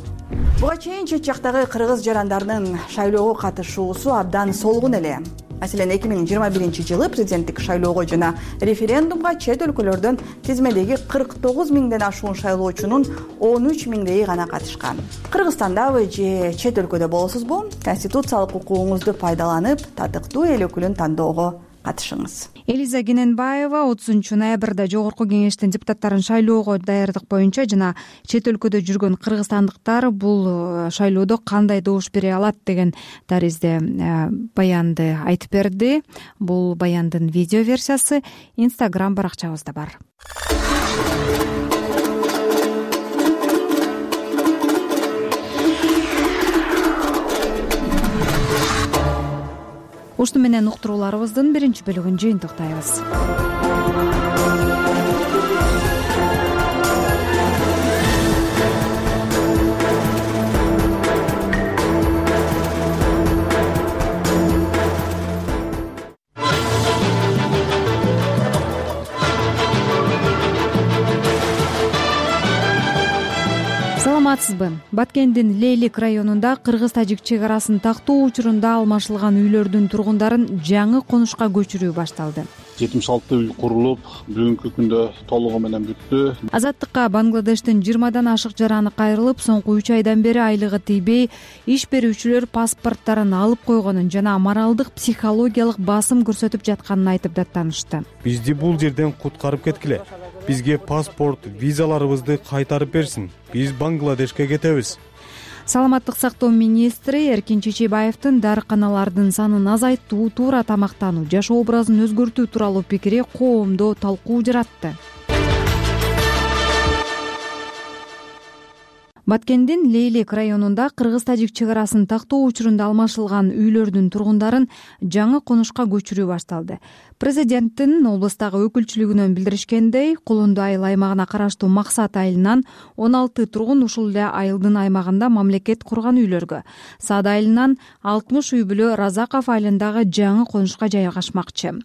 Буга чейин чет жактагы кыргыз жарандарынын шайлоого катышуусу абдан солгун эле. Маселен, 2021 жылы президенттик шайлоого жана референдумга чет өлкөлөрдөн тизмедеги 49 миңден ашуун шайлоочунун 13 миңдейи гана катышкан. Кыргызстандабы же чет өлкөдө болосузбу? Конституциялык укугуңузду пайдаланып, татыктуу эл өкүлүн тандоого катышыңыз. Элиза Гененбаева 30 ноябрда жогорку кеңештин депутаттарын шайлоого даярдык боюнча жана чет өлкөдө жүргөн кыргызстандыктар бул шайлоодо кандай добуш бере алат деген таризде баянды айтып берди. Бул баяндын видео версиясы Instagram баракчабызда бар. Ушуну менен уктурууларыбыздын биринчи бөлүгүн жыйынтыктайбыз. Саламатсызбы? Баткендин Лейлик районунда кыргыз-тажик чек арасын тактоо учурунда алмашылган үйлөрдүн тургундарын жаңы конушка көчүрүү башталды. 76 үй курулуп, бүгүнкү күндө толугу менен бүттү. Азаттыкка Бангладештин 20дан ашык жараны кайрылып, соңку 3 айдан бери айлыгы тийбей, иш берүүчүлөр паспорттарын алып койгонун жана моралдык психологиялык басым көрсөтүп жатканын айтып даттанышты. Бизди бул жерден куткарып кеткиле. Бизге паспорт, визаларыбызды кайтарып берсин. Биз Бангладешке кетебиз. Саламаттык сактоо министри Эркин Чечебаевдин дарыканалардын санын азайтуу, туура тамактануу, жашоо образын өзгөртүү тууралуу пикири коомдо талкуу жаратты. Баткендин Лейлик районунда кыргыз-тажик чек арасын тактоо учурунда алмашылган үйлөрдүн тургундарын жаңы конушка көчүрүү башталды. Президенттин облустагы өкүлчүлүгүнөн билдиришкендей, Кулунду айыл аймагына караштуу Максат айылынан 16 тургун ушул эле айылдын аймагында мамлекет курган үйлөргө, Саад айылынан 60 үй бүлө Разаков айылындагы жаңы конушка жайгашмакчы.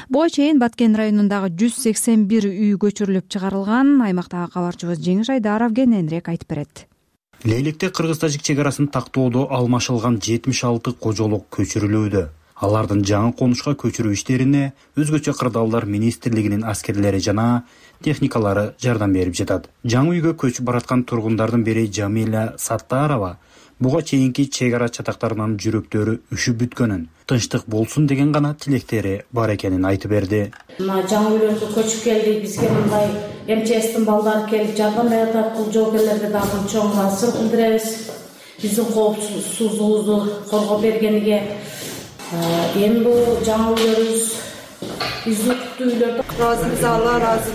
Буга чейин Баткен районундагы 181 үй көчүрүлүп чыгарылган. Аймактагы кабарчыбыз Жеңиш Айдаров кененирээк айтып берет. Лейликте кыргыз-тажик чек арасын тактоодо алмашылган 76 кожолук көчүрүлүүдө. Алардын жаңы конушка көчүрүү иштерине өзгөчө кырдаалдар министрлигинин аскерлери жана техникалары жардам берип жатат. Жаңы үйгө көчүп бараткан тургундардын бири Жамиля Саттарова буга чейинки чек ара чатактарынын жүрөктөрү үшүп бүткөнүн, тынчтык болсун деген гана тилектери бар экенин айтып берди. Мына жаңы үйлөргө көчүп келдик, бизге мындай МЧСтин балдары келип жардам берип атат. Бул жоокерлерге дагы чоң ыраазычылык билдиребиз. Биздин коопсуздугубузду коргоп бергениге. Эми бул жаңы үйлөрүбүз биздин куттуу үйлөрдө ыраазыбыз, Алла ыраазы.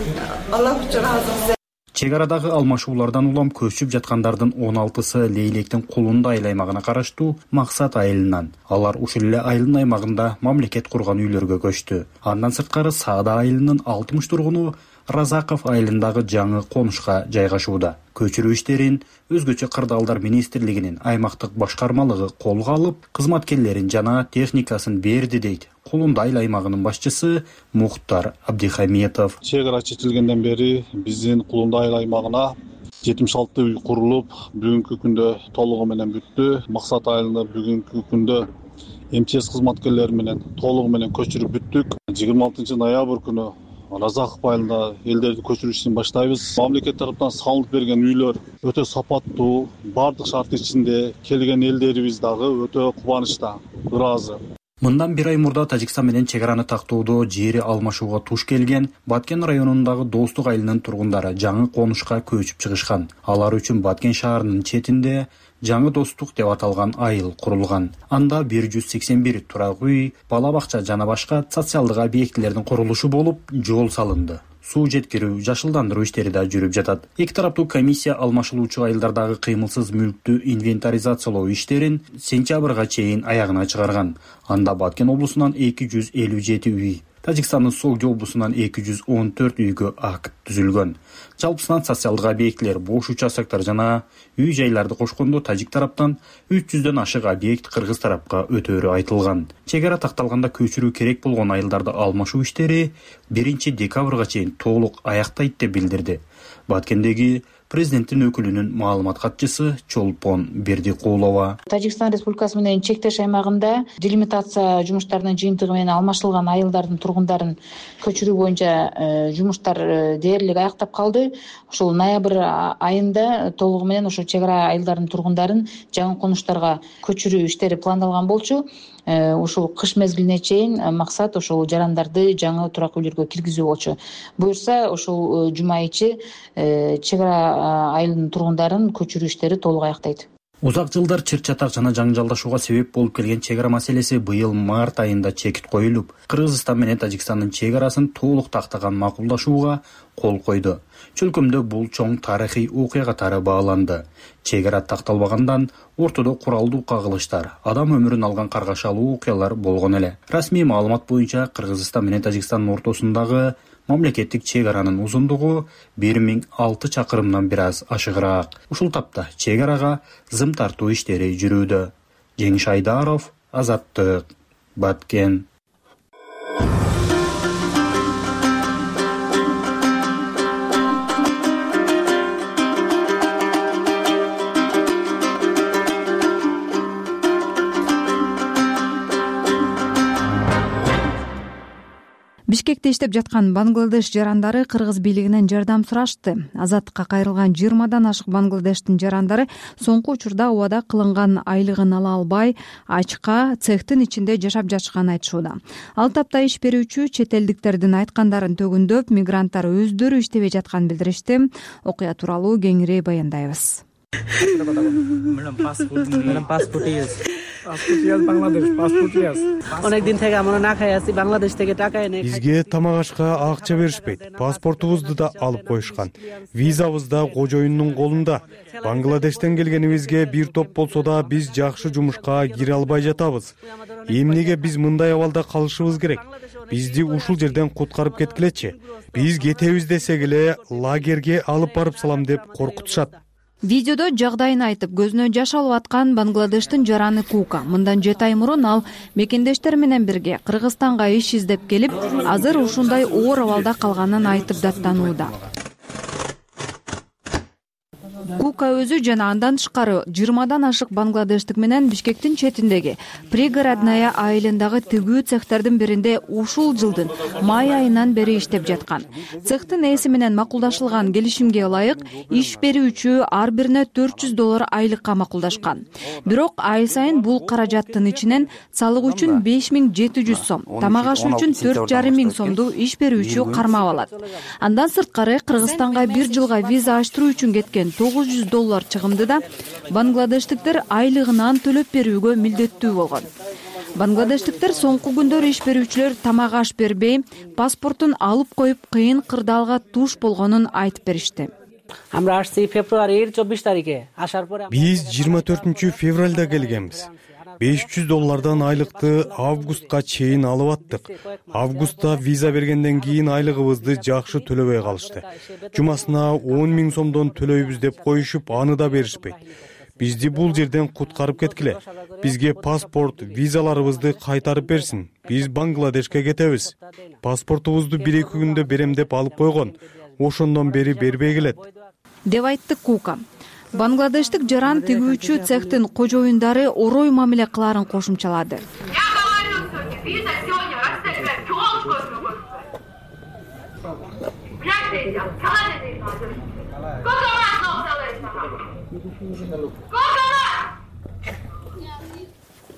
Алла үчүн ыраазыбыз. Чек арадагы алмашуулардан улам көчүп жаткандардын 16сы Лейлектин Кулунда айыл аймагына караштуу Максат айылынан. Алар ушул эле айылдын аймагында мамлекет курган үйлөргө көчтү. Андан сырткары Саада айылынын 60 тургуну Разаков айылындагы жаңы конушка жайгашууда. Көчүрүү иштерин өзгөчө кырдаалдар министрлигинин аймактык башкармалыгы колго алып, кызматкерлерин жана техникасын берди дейт Кулунда айыл аймагынын башчысы Мухтар Абдихаметов. Чек ара чечилгенден бери биздин Кулунда айыл аймагына 76 үй курулуп, бүгүнкү күндө толугу менен бүттү. Максат айылында бүгүнкү күндө МЧС кызматкерлери менен толугу менен көчүрүп бүттүк. 26 ноябрь күнү Разаков айылында элдерди көчүрүү ишин баштайбыз. Мамлекет тараптан салынып берген үйлөр өтө сапаттуу, бардык шарт ичинде, келген элдерибиз дагы өтө кубанычта, ыраазы. Мындан бир ай мурда Тажикстан менен чек араны тактоодо жери алмашууга туш келген Баткен районундагы Достук айылынын тургундары жаңы конушка көчүп чыгышкан. Алар үчүн Баткен шаарынын четинде жаңы Достук деп аталган айыл курулган. Анда 181 турак үй, бала бакча жана башка социалдык объектилердин курулушу болуп, жол салынды. Суу жеткирүү, жашылдандыруу иштери да жүрүп жатат. Эки тараптуу комиссия алмашылуучу айылдардагы кыймылсыз мүлктү инвентаризациялоо иштерин сентябрга чейин аягына чыгарган. Анда Баткен облусунан 257 үй, Тажикстандын Согди облусунан 214 үйгө акт түзүлгөн. Жалпысынан социалдык объектилер, бош участоктор жана үй жайларды кошкондо тажик тараптан 300дөн ашык объект кыргыз тарапка өтөөрү айтылган. Чек ара такталганда көчүрүү керек болгон айылдарды алмашуу иштери 1 декабрга чейин толук аяктайт деп билдирди Баткендеги президенттин өкүлүнүн маалымат катчысы Чолпон Бердикулова. Тажикстан Республикасы менен чектеш аймагында делимитация жумуштарынын жыйынтыгы менен алмаштырылган айылдардын тургундарын көчүрүү боюнча жумуштар дээрлик аяктап калды. Ошол ноябрь айында толугу менен ошо чек ара айылдардын тургундарын жаңы конуштарга көчүрүү иштери пландалган болчу. Ушул кыш мезгилине чейин максат ошол жарандарды жаңы турак үйлөргө киргизүү болчу. Буюрса ошол жума ичи чек ара айылынын тургундарын көчүрүү иштери толук аяктайт. Узак жылдар чыр-чатак жана жаңжалдашууга себеп болуп келген чек ара маселеси быйыл март айында чекит коюлуп, Кыргызстан менен Тажикстандын чек арасын толук тактаган макулдашууга кол койду. Чөлкөмдө бул чоң тарыхый окуя катары бааланды. Чек ара такталбагандан ортодо куралдуу кагылыштар, адам өмүрүн алган каргашалуу окуялар болгон эле. Расмий маалымат боюнча Кыргызстан менен Тажикстандын ортосундагы мамлекеттик чек аранын узундугу 1006 чакырымдан бир аз ашыгыраак. Ушул тапта чек арага зым тартуу иштери жүрүүдө. Жеңиш Айдаров, Азаттык, Баткен. Бишкекте иштеп жаткан Бангладеш жарандары кыргыз бийлигинен жардам сурашты. Азаттыкка кайрылган 20дан ашык Бангладештин жарандары соңку учурда убада кылынган айлыгын ала албай, ачка цехтин ичинде жашап жатышканын айтышууда. Ал тапта иш берүүчү чет элдиктердин айткандарын төгүндөп, мигранттар өздөрү иштебей жатканын билдиришти. Окуя тууралуу кеңири баяндайбыз. Бизге тамак ашка акча беришпейт. Паспортубузду да алып коюшкан. Визабыз да кожоюндун колунда. Бангладештен келгенибизге бир топ болсо да биз жакшы жумушка кире албай жатабыз. Эмнеге биз мындай абалда калышыбыз керек? Бизди ушул жерден куткарып кеткилечи. Биз кетебиз десек эле лагерге алып барып салам деп коркутушат. Видеодо жагдайын айтып, көзүнө жаш алып аткан Бангладештин жараны Кука. Мындан 7 ай мурун ал мекендештер менен бирге Кыргызстанга иш издеп келип, азыр ушундай оор абалда калганын айтып даттанууда. Куука өзү жана андан тышкары 20дан ашык бангладештик менен Бишкектин четиндеги пригородная айылындагы тигүү цехтердин биринде ушул жылдын май айынан бери иштеп жаткан. Цехтин ээси менен макулдашылган келишимге ылайык иш берүүчү ар бирине $400 айлыкка макулдашкан. Бирок ай сайын бул каражаттын ичинен салык үчүн 5700 сом, тамак аш үчүн 4500 сомду иш берүүчү кармап алат. Андан сырткары Кыргызстанга бир жылга виза ачтыруу үчүн кеткен $900 чыгымды да бангладештиктер айлыгынан төлөп берүүгө милдеттүү болгон. Бангладештиктер соңку күндөр иш берүүчүлөр тамак аш бербей, паспортун алып коюп кыйын кырдаалга туш болгонун айтып беришти. Биз 24 февралда келгенбиз. $500 айлыкты августка чейин алып аттык. Августта виза бергенден кийин айлыгыбызды жакшы төлөбөй калышты. Жумасына 10 000 сомдон төлөйбүз деп коюшуп, аны да беришпейт. Бизди бул жерден куткарып кеткиле. Бизге паспорт, визаларыбызды кайтарып берсин. Биз Бангладешке кетебиз. Паспортубузду 1-2 күндө берем деп алып койгон. Ошондон бери бербей келет, деп айтты Куука. Бангладештик жаран тигүүчү цехтин кожоюндары орой мамиле кыларын кошумчалады.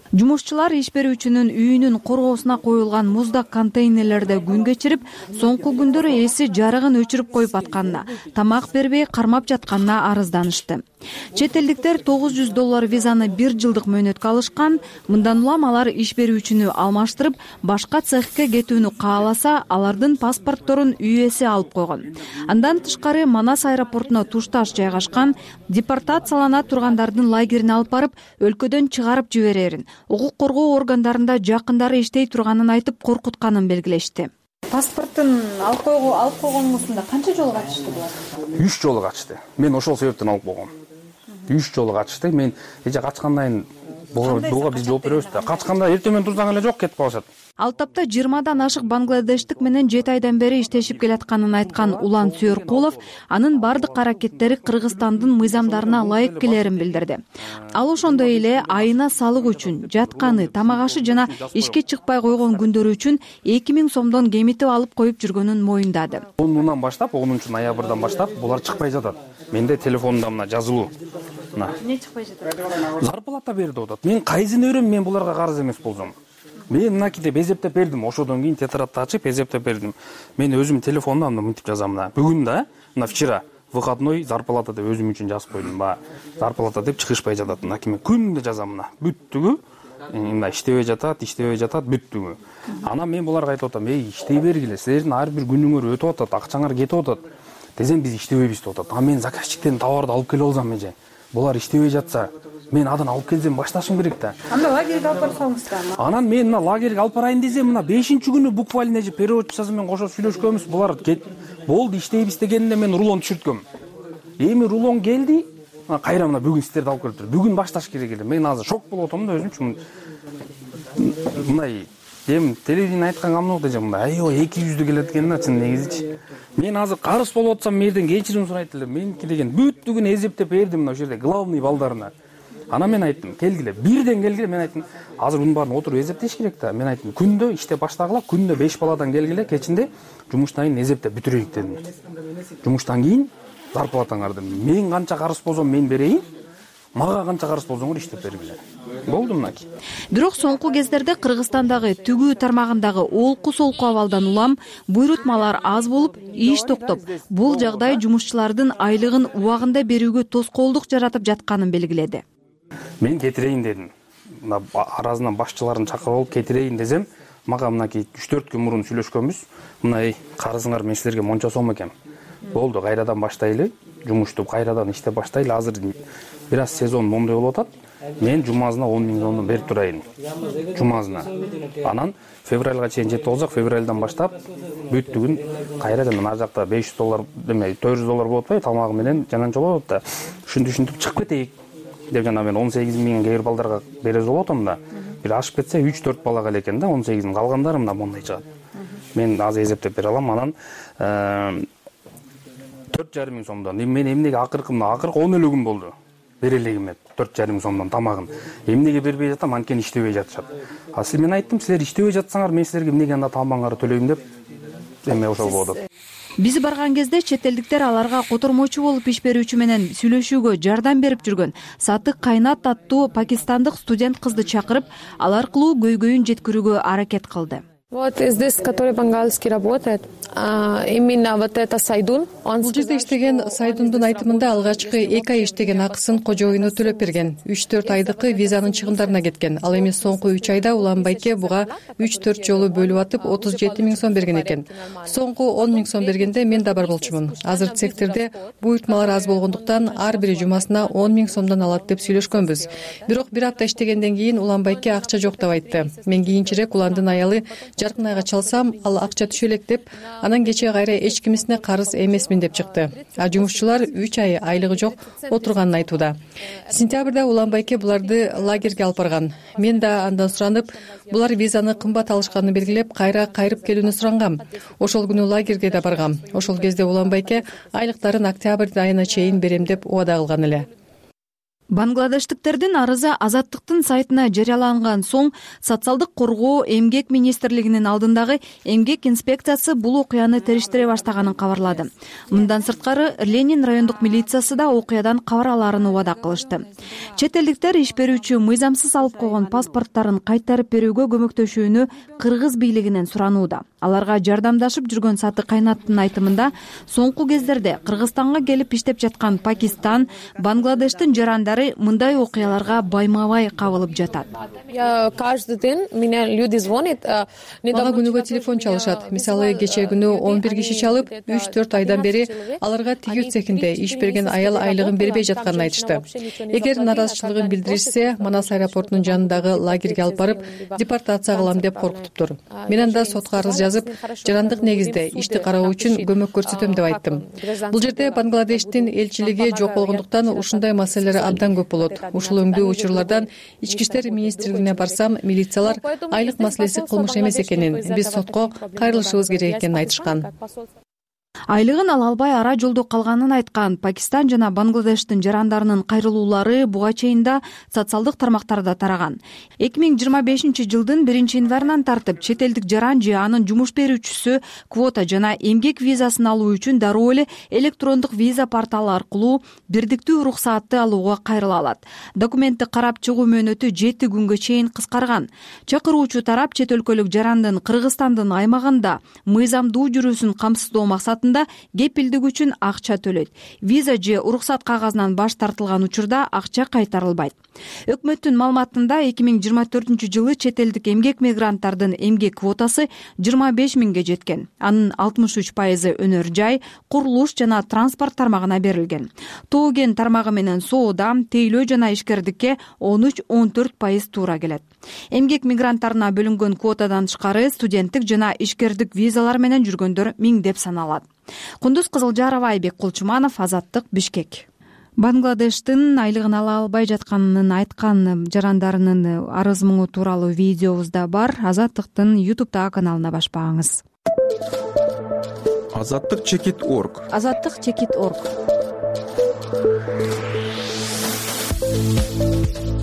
Жумушчулар иш берүүчүнүн үйүнүн коргоосуна коюлган муздак контейнерлерде күн кечирип, соңку күндөрү ээси жарыгын өчүрүп коюп атканына, тамак бербей кармап жатканына арызданышты. Чет элдиктер $900 визаны 1 жылдык мөөнөткө алышкан. Мындан улам алар иш берүүчүнү алмаштырып, башка цехке кетүүнү кааласа, алардын паспортторун үй ээси алып койгон. Андан тышкары Манас аэропортуна тушташ жайгашкан депортациялана тургандардын лагерине алып барып, өлкөдөн чыгарып жиберерин, укук коргоо органдарында жакындары иштей турганын айтып коркутканын белгилешти. Паспортун алып койгонуңузда канча жолу катышты булар? 3 жолу катышты. Мен ошол себептен алып койгом. 3 жолу катышты. Мен эже качкандан буга биз жооп беребиз да. Качканда эртең турсаң эле жок кетип калышат. Ал тапта 20дан ашык бангладештик менен 7 айдан бери иштешип келатканын айткан Улан Сүйөркулов анын бардык аракеттери Кыргызстандын мыйзамдарына ылайык келерин билдирди. Ал ошондой эле айына салык үчүн, жатканы, тамак ашы жана ишке чыкпай койгон күндөрү үчүн 2000 сомдон кемитип алып коюп жүргөнүн моюндады. 10-нан баштап, 10-ноябрдан баштап булар чыкпай жатат. Менде телефонумда мына жазылуу. Эмне чыкпай жатат? Зарплата берди атат. Мен кайсын өрөм, мен буларга карыз эмес болсом. Мен мынакей деп эзептеп бердим. Ошодон кийин тетрадты ачып эзептеп бердим. Мен өзүм телефонумда мынтип жазам мына. Бүгүн да, мына вчера выходной зарплата деп өзүм үчүн жазып койдум. Зарплата деп чыгышпай жатат. Мынакей мен күндө жазам мына. Бүттүгү мына иштебей жатат, бүттүгү. Анан мен буларга айтып атам, иштей бергиле, силердин ар бир күнүңөр өтүп атат, акчаңар кетип атат. Десем биз иштебейбиз деп атат. Мен заказчиктен товарды алып келип алсам эже. Булар иштебей жатса, мен адан алып келсем башташым керек да. Анда лагерге алып барсаңыз да. Анан мен мына лагерге алып барайын десем, мына 5-күнү буквально переводчусу менен кошо сүйлөшкөнбүз. Булар болду иштейбиз дегенде мен рулон түшүрткөм. Эми рулон келди, кайра мына бүгүн сиздерди алып келиптир. Бүгүн башташ керек эле. Мен азыр шок болуп атам да өзүмчү. Мындай телевидение айткан камнок дежем мындай 200 келет экен да чын негизичи. Мен азыр карыз болуп атсам мерден кечирим сурайт элем. Меники деген бүттүгүн эзептеп бердим мына ошол жерде главный балдарына. Анан мен айттым, келгиле, бирден келгиле, мен айттым, азыр мунун баарын отуруп эзептеш керек да. Мен айттым, күндө иштеп баштагыла, күндө 5 баладан келгиле, кечинде жумуштан кийин эзептеп бүтүрөйүк дедим. Жумуштан кийин зарплатаңарды мен канча карыз болсом мен берейин, мага канча карыз болсоңор иштеп бергиле. Болду мынакей. Бирок соңку кездерде Кыргызстандагы тигүү тармагындагы олку-солку абалдан улам буйрутмалар аз болуп, иш токтоп, бул жагдай жумушчулардын айлыгын убагында берүүгө тоскоолдук жаратып жатканын белгиледи. Мен кетирейин дедим. Аразынан башчыларын чакырып алып кетирейин десем, мага мынакей 3-4 күн мурун сүйлөшкөнбүз. Мына карызыңар мен силерге монча сом экем. Болду, кайрадан баштайлы, жумушту кайрадан иштеп баштайлы. Азыр бир аз сезон мондой болуп атат. Мен жумазына 10 000 сомдон берип турайын. Жумазына. Анан февралга чейин жетип алсак, февралдан баштап бүттүгүн кайрадан ар жакта $500 деме, $400 болуп атпайбы, тамагы менен жананча болуп атат да. Ушинтип чыгып кетейик деп жана мен 18 000 кээ бир балдарга берез болуп атам да. Бир ашып кетсе 3-4 балага эле экен да, 18-ин калгандары мына мондай чыгат. Мен азыр эзептеп бере алам. Анан 4,5 миң сомдон. Мен эмнеге акыркы 10 эле күн болду бере элегим 4,5 миң сомдон тамагын эмнеге бербей жатам, анткени иштебей жатышат. Мен айттым, силер иштебей жатсаңар, мен силерге эмнеге анда тамагыңарды төлөйм деп эме ошол болду. Биз барган кезде чет элдиктер аларга котормочу болуп иш берүүчү менен сүйлөшүүгө жардам берип жүргөн Сатык Кайнат аттуу пакистандык студент кызды чакырып, ал аркылуу көйгөйүн жеткирүүгө аракет кылды. Вот здесь, который бенгальский работает, именно вот это Сайдун. Бул жерде иштеген Сайдундун айтымында алгачкы 2 ай иштеген акысын кожоюну төлөп берген. 3-4 айдыкы визанын чыгымдарына кеткен. Ал эми соңку 3 айда Уланбайке буга 3-4 жолу бөлүп атып 37 миң сом берген экен. Соңку 10 миң сом бергенде мен да бар болчумун. Азыр цехтерде буйртмалар аз болгондуктан ар бири жумасына 10 миң сомдон алат деп сүйлөшкөнбүз. Бирок бир апта иштегенден кийин Уланбайке акча жок деп айтты. Мен кийинчерээк Уландын аялы жаркын айга чалсам, ал акча түшө элек деп, анан кече кайра эч кимисине карыз эмесмин деп чыкты. А жумушчулар 3 ай айлыгы жок отурганын айтууда. Сентябрда Уланбайке буларды лагерге алып барган. Мен да андан суранып, булар визаны кымбат алышканын белгилеп, кайра кайрып келүүнү сурангам. Ошол күнү лагерге да баргам. Ошол кезде Уланбайке айлыктарын октябрь айына чейин берем деп убада кылган эле. Бангладештиктердин арызы Азаттыктын сайтына жарыяланган соң социалдык коргоо эмгек министрлигинин алдындагы эмгек инспекциясы бул окуяны териштире баштаганын кабарлады. Мындан сырткары Ленин райондук милициясы да окуядан кабар алаарын убада кылышты. Чет элдиктер иш берүүчү мыйзамсыз алып койгон паспорттарын кайтарып берүүгө көмөктөшүүнү кыргыз бийлигинен суранууда. Аларга жардамдашып жүргөн Сатык Кайнаттын айтымында соңку кездерде Кыргызстанга келип иштеп жаткан Пакистан, Бангладештин жарандары мындай окуяларга байма-бай кабылып жатат. Каждый день меня люди звонят. Мага күнүгө телефон чалышат. Мисалы, кече күнү 11 киши чалып, 3-4 айдан бери аларга тигүү цехинде иш берген аял айлыгын бербей жатканын айтышты. Эгер наразычылыгын билдиришсе, Манас аэропортунун жанындагы лагерге алып барып, депортация кылам деп коркутуптур. Мен анда сотко арыз жазып, жарандык негизде ишти кароо үчүн көмөк көрсөтөм деп айттым. Бул жерде Бангладештин элчилиги жок болгондуктан ушундай маселелер абдан көп болот. Ушул өңдүү учурлардан ички иштер министрлигине барсам, милициялар айлык маселеси кылмыш эмес экенин, биз сотко кайрылышыбыз керек экенин айтышкан. Айлыгын ала албай ара жолдо калганын айткан Пакистан жана Бангладештин жарандарынын кайрылуулары буга чейин да социалдык тармактарда тараган. 2025-жылдын 1-январынан тартып чет элдик жаран же анын жумуш берүүчүсү квота жана эмгек визасын алуу үчүн дароо эле электрондук виза порталы аркылуу бирдиктүү уруксаатты алууга кайрыла алат. Документти карап чыгуу мөөнөтү 7 күнгө чейин кыскарган. Чакыруучу тарап чет өлкөлүк жарандын Кыргызстандын аймагында мыйзамдуу жүрүүсүн камсыздоо максатында кепилдик үчүн акча төлөйт. Виза же уруксат кагазынан баш тартылган учурда акча кайтарылбайт. Өкмөттүн маалыматында 2024-жылы чет элдик эмгек мигранттардын эмгек квотасы 25 миңге жеткен. Анын 63% өнөр жай, курулуш жана транспорт тармагына берилген. Тоо кен тармагы менен соода, тейлөө жана ишкердикке 13-14% туура келет. Эмгек мигранттарына бөлүнгөн квотадан тышкары студенттик жана ишкердик визалар менен жүргөндөр миңдеп саналат. Кундуз Кызылжарова, Айбек Кулчуманов, Азаттык, Бишкек. Бангладештин айлыгын ала албай жатканын айткан жарандарынын арыз муңу тууралуу видеобуз да бар. Азаттыктын YouTube'дагы каналына башпаңыз. Азаттык чекит.org. Азаттык чекит.org.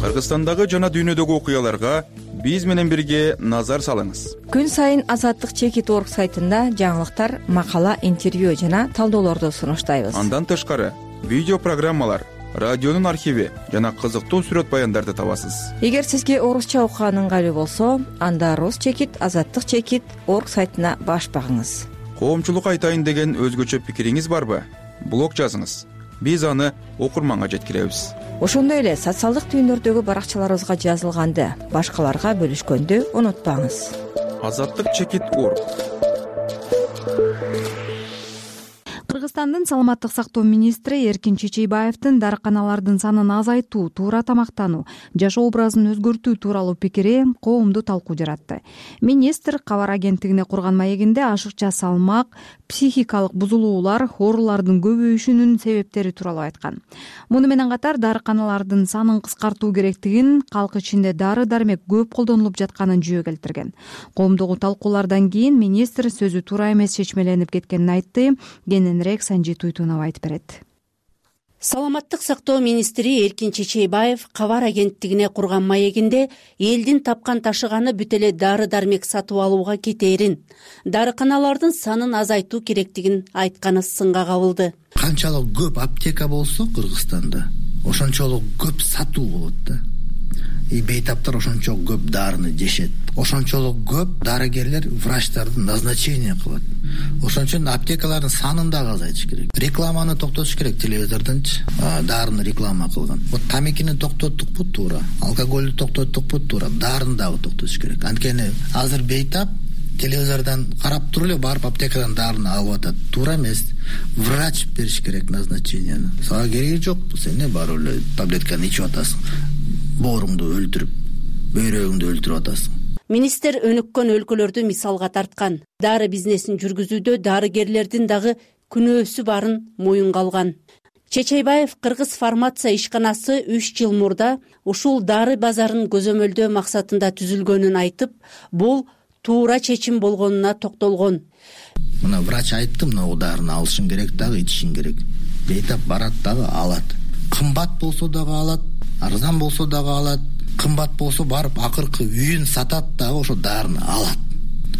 Кыргызстандагы жана дүйнөдөгү окуяларга биз менен бирге назар салыңыз. Күн сайын Азаттык чекит.org сайтында жаңылыктар, макала, интервью жана талдоолорду сунуштайбыз. Андан тышкары видео программалар, радионун архиви жана кызыктуу сүрөт баяндарды табасыз. Эгер сизге орусча окуган ыңгайлуу болсо, анда Рус чекит, Азаттык чекит.org сайтына баш багыңыз. Коомчулукка айтайын деген өзгөчө пикириңиз барбы? Блог жазыңыз. Биз аны окурманга жеткиребиз. Ошондой эле социалдык түйүндөрдөгү баракчаларыбызга жазылганды, башкаларга бөлүшкөндү унутпаңыз. Азаттык чекит.org. Кыргызстандын саламаттык сактоо министри Эркин Чечейбаевдин дарыканалардын санын азайтуу, туура тамактануу, жашоо образын өзгөртүү тууралуу пикири коомду талкуу жаратты. Министр кабар агенттигине курган маегинде ашыкча салмак, психикалык бузулуулар, оорулардын көбөйүшүнүн себептери тууралуу айткан. Муну менен катар дарыканалардын санын кыскартуу керектигин, калк ичинде дары-дармек көп колдонулуп жатканын жүйө келтирген. Коомдогу талкуулардан кийин министр сөзү туура эмес чечмеленип кеткенин айтты. Кененирээк Санжит Уйтунов айтып берет. Саламаттык сактоо министри Эркин Чечейбаев кабар агенттигине курган маегинде элдин тапкан ташыганы бүт эле дары-дармек сатып алууга кетээрин, дарыканалардын санын азайтуу керектигин айтканы сынга кабылды. Канчалык көп аптека болсо Кыргызстанда, ошончолук көп сатуу болот да. Бейтаптар ошончо көп дарыны жешет. Ошончолук көп дарыгерлер врачтарды назначение кылат. Ошон үчүн аптекалардын санын дагы азайтыш керек. Рекламаны токтотуш керек, телевизордончу дарыны реклама кылган. Вот тамекини токтоттукпу туура, алкоголду токтоттукпу туура, дарыны дагы токтотуш керек. Анткени азыр бейтап телевизордон карап туруп эле барып аптекадан дарыны алып атат. Туура эмес. Врач бериш керек назначениени. Сага кереги жок, сен эмне барып эле таблетканы ичип атасың. Бооруңду өлтүрүп, бөйрөгүңдү өлтүрүп атасың. Министр өнүккөн өлкөлөрдү мисалга тарткан. Дары бизнесин жүргүзүүдө дарыгерлердин дагы күнөөсү барын моюнга алган. Чечейбаев Кыргыз фармация ишканасы 3 жыл мурда ушул дары базарын көзөмөлдөө максатында түзүлгөнүн айтып, бул туура чечим болгонуна токтолгон. Мына врач айтты, мына дарыны алышың керек дагы, ичишиң керек. Бейтап барат дагы алат. Кымбат болсо дагы алат, арзан болсо дагы алат. Кымбат болсо барып акыркы үйүн сатат дагы ошо дарыны алат.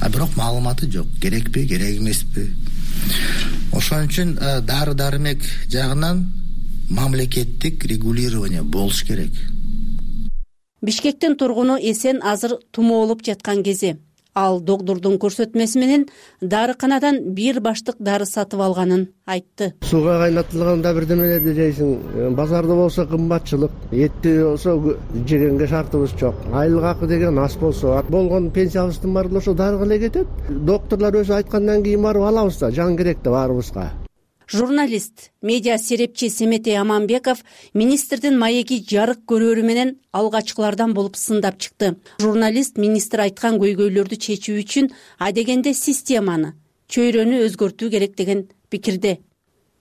Бирок маалыматы жок, керекпи, керек эмеспи. Ошон үчүн дары-дармек жагынан мамлекеттик регулирование болуш керек. Бишкектин тургуну Эсен азыр тумоолуп жаткан кези. Ал доктурдун көрсөтмөсү менен дарыканадан бир баштык дары сатып алганын айтты. Сууга кайнатылганда бирдемелерди жейсиң, базарда болсо кымбатчылык, этти болсо жегенге шартыбыз жок. Айлык акы деген аз болсо, болгон пенсиябыздын баары ошо дарыга эле кетет. Докторлор өзү айткандан кийин барып алабыз да, жан керек да баарыбызга. Журналист, медиа серепчи Семетей Аманбеков министрдин маеги жарык көрөрү менен алгачкылардан болуп сындап чыкты. Журналист министр айткан көйгөйлөрдү чечүү үчүн адегенде системаны, чөйрөнү өзгөртүү керек деген пикирде.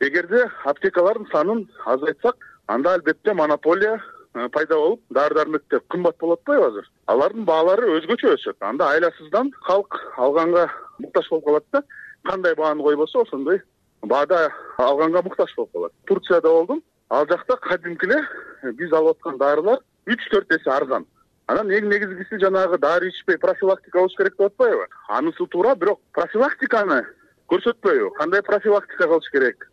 Эгерде аптекалардын санын азайтсак, анда албетте монополия пайда болуп, дары-дармектер кымбат болот атпайбы азыр? Алардын баалары өзгөчө өсөт. Анда айласыздан халк алганга муктаж болуп калат да. Кандай бааны койбосо, ошондой баада алганга муктаж болуп калат. Турцияда болдум. Ал жакта кадимки эле биз алып аткан дарылар 3-4 эсе арзан. Анан эң негизгиси жанагы дары ичпей профилактика болуш керек деп атпайбы? Анысы туура, бирок профилактиканы көрсөтпөйбү? Кандай профилактика кылыш керек?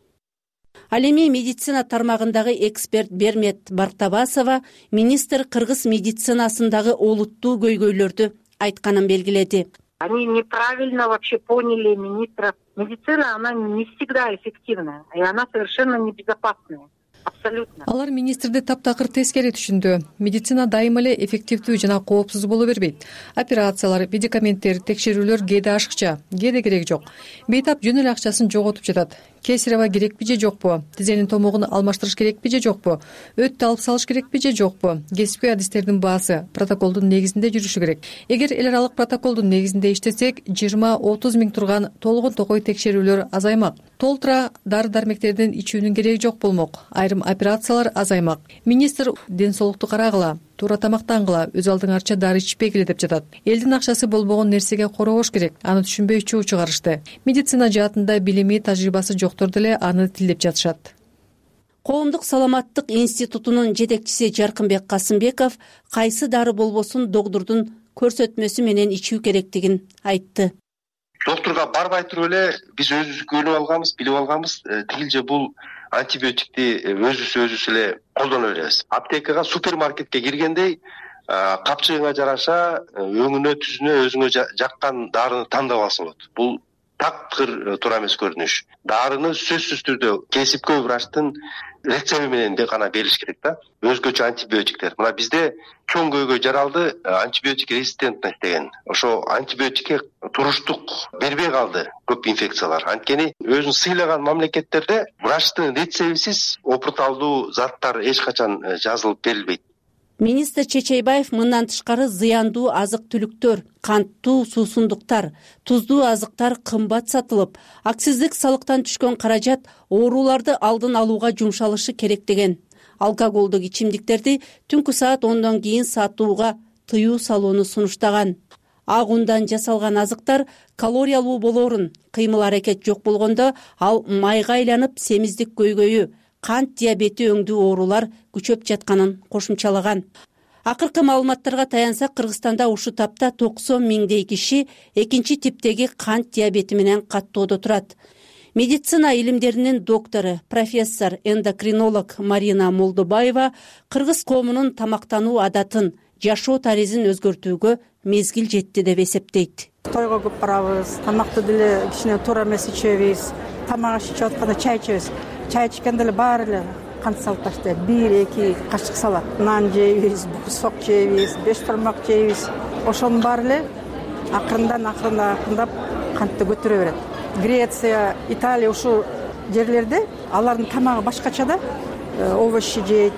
Ал эми медицина тармагындагы эксперт Бермет Бартабасова министр кыргыз медицинасындагы олуттуу көйгөйлөрдү айтканын белгиледи. Они неправильно вообще поняли министра. Медицина, она не всегда эффективная, и она совершенно небезопасная. Абсолютно. Алар министрди таптакыр тескери түшүндү. Медицина дайыма эле эффективдүү жана коопсуз боло бербейт. Операциялар, медикаменттер, текшерүүлөр кээде ашыкча, кээде кереги жок. Бейтап жөн эле акчасын жоготуп жатат. Кесарева керекпи же жокпу? Тизенин томогун алмаштырыш керекпи же жокпу? Өттү алып салыш керекпи же жокпу? Кесипкөй адистердин баасы протоколдун негизинде жүрүшү керек. Эгер эл аралык протоколдун негизинде иштесек, 20-30 миң турган толгон токой текшерүүлөр азаймак. Толтура дары-дармектердин ичүүнүн кереги жок болмок. Айрым операциялар азаймак. Министр ден соолукту карагыла, туура тамактангыла, өз алдыңарча дары ичпегиле деп жатат. Элдин акчасы болбогон нерсеге коробош керек. Аны түшүнбөй чуу чыгарышты. Медицина жаатында билими, тажрыйбасы жоктор деле аны тилдеп жатышат. Коомдук саламаттык институтунун жетекчиси Жаркынбек Касымбеков кайсы дары болбосун доктурдун көрсөтмөсү менен ичүү керектигин айтты. Доктурга барбай туруп эле биз өзүбүз көрүп алганбыз, билип алганбыз, тигилже бул антибиотикти өзүбүз эле колдоно беребиз. Аптекага, супермаркетке киргендей капчыгыңа жараша өңүнө, түзүнө өзүңө жаккан дарыны тандап алсаң болот. Бул таптыр туура эмес көрүнүш. Дарыны сөзсүз түрдө кесипкөй врачтын рецепти менен гана бериш керек да. Өзгөчө антибиотиктер. Мына бизде чоң көйгөй жаралды антибиотик резистентность деген. Ошо антибиотикке туруштук бербей калды көп инфекциялар. Анткени өзүн сыйлаган мамлекеттерде врачтын рецептисиз опурталдуу заттар эч качан жазылып берилбейт. Министр Чечейбаев мындан тышкары зыяндуу азык-түлүктөр, канттуу суусундуктар, туздуу азыктар кымбат сатылып, акциздик салыктан түшкөн каражат ооруларды алдын алууга жумшалышы керек деген. Алкоголдук ичимдиктерди түнкү саат 10дон кийин сатууга тыюу салууну сунуштаган. ак ундан жасалган азыктар калориялуу болоорун, кыймыл аракет жок болгондо ал майга айланып семиздик көйгөйү, кант диабети өңдүү оорулар күчөп жатканын кошумчалаган. Акыркы маалыматтарга таянсак, Кыргызстанда ушул тапта 90 миңдей киши экинчи типтеги кант диабети менен каттоодо турат. Медицина илимдеринин доктору, профессор, эндокринолог Марина Молдобаева кыргыз коомунун тамактануу адатын, жашоо таризин өзгөртүүгө мезгил жетти деп эсептейт. Тойго көп барабыз, тамакты деле кичине туура эмес ичебиз, тамак ичип атканда чай ичебиз. Чай ичкенде эле баары эле кант салып таштайт. 1-2 кашык салат. Нан жейбиз, сок жейбиз, 5 бармак жейбиз. Ошонун баары эле акырындап кантты көтөрө берет. Греция, Италия ушул жерлерде алардын тамагы башкача да, овощи жейт,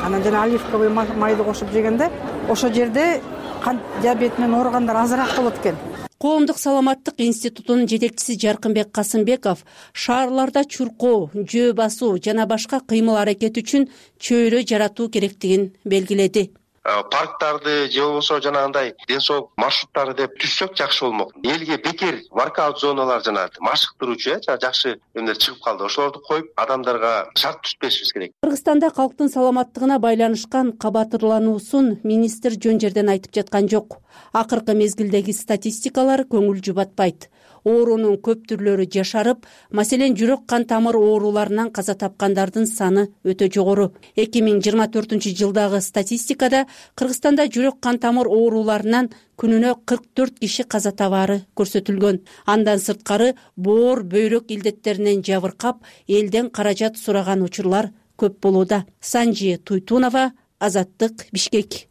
анан жана оливковый майды кошуп жегенде ошол жерде кант диабети менен ооругандар азыраак болот экен. Коомдук саламаттык институтунун жетекчиси Жаркынбек Касымбеков шаарларда чуркоо, жөө басуу жана башка кыймыл аракет үчүн чөйрө жаратуу керектигин белгиледи. Парктарды же болбосо жанагындай ден соолук маршруттары деп түзсөк жакшы болмок. Элге бекер воркаут зоналар жана машыктыруучу жакшы эмнелер чыгып калды. Ошолорду коюп, адамдарга шарт түзбөшүбүз керек. Кыргызстанда калктын саламаттыгына байланышкан кабатырлануусун министр жөн жерден айтып жаткан жок. Акыркы мезгилдеги статистикалар көңүл жубатпайт. Оорунун көп түрлөрү жашарып, маселен жүрөк кан тамыр ооруларынан каза тапкандардын саны өтө жогору. 2024-жылдагы статистикада Кыргызстанда жүрөк кан тамыр ооруларынан күнүнө 44 киши каза табаары көрсөтүлгөн. Андан сырткары боор, бөйрөк илдеттеринен жабыркап, элден каражат сураган учурлар көп болууда. Санжи Туйтунова, Азаттык, Бишкек.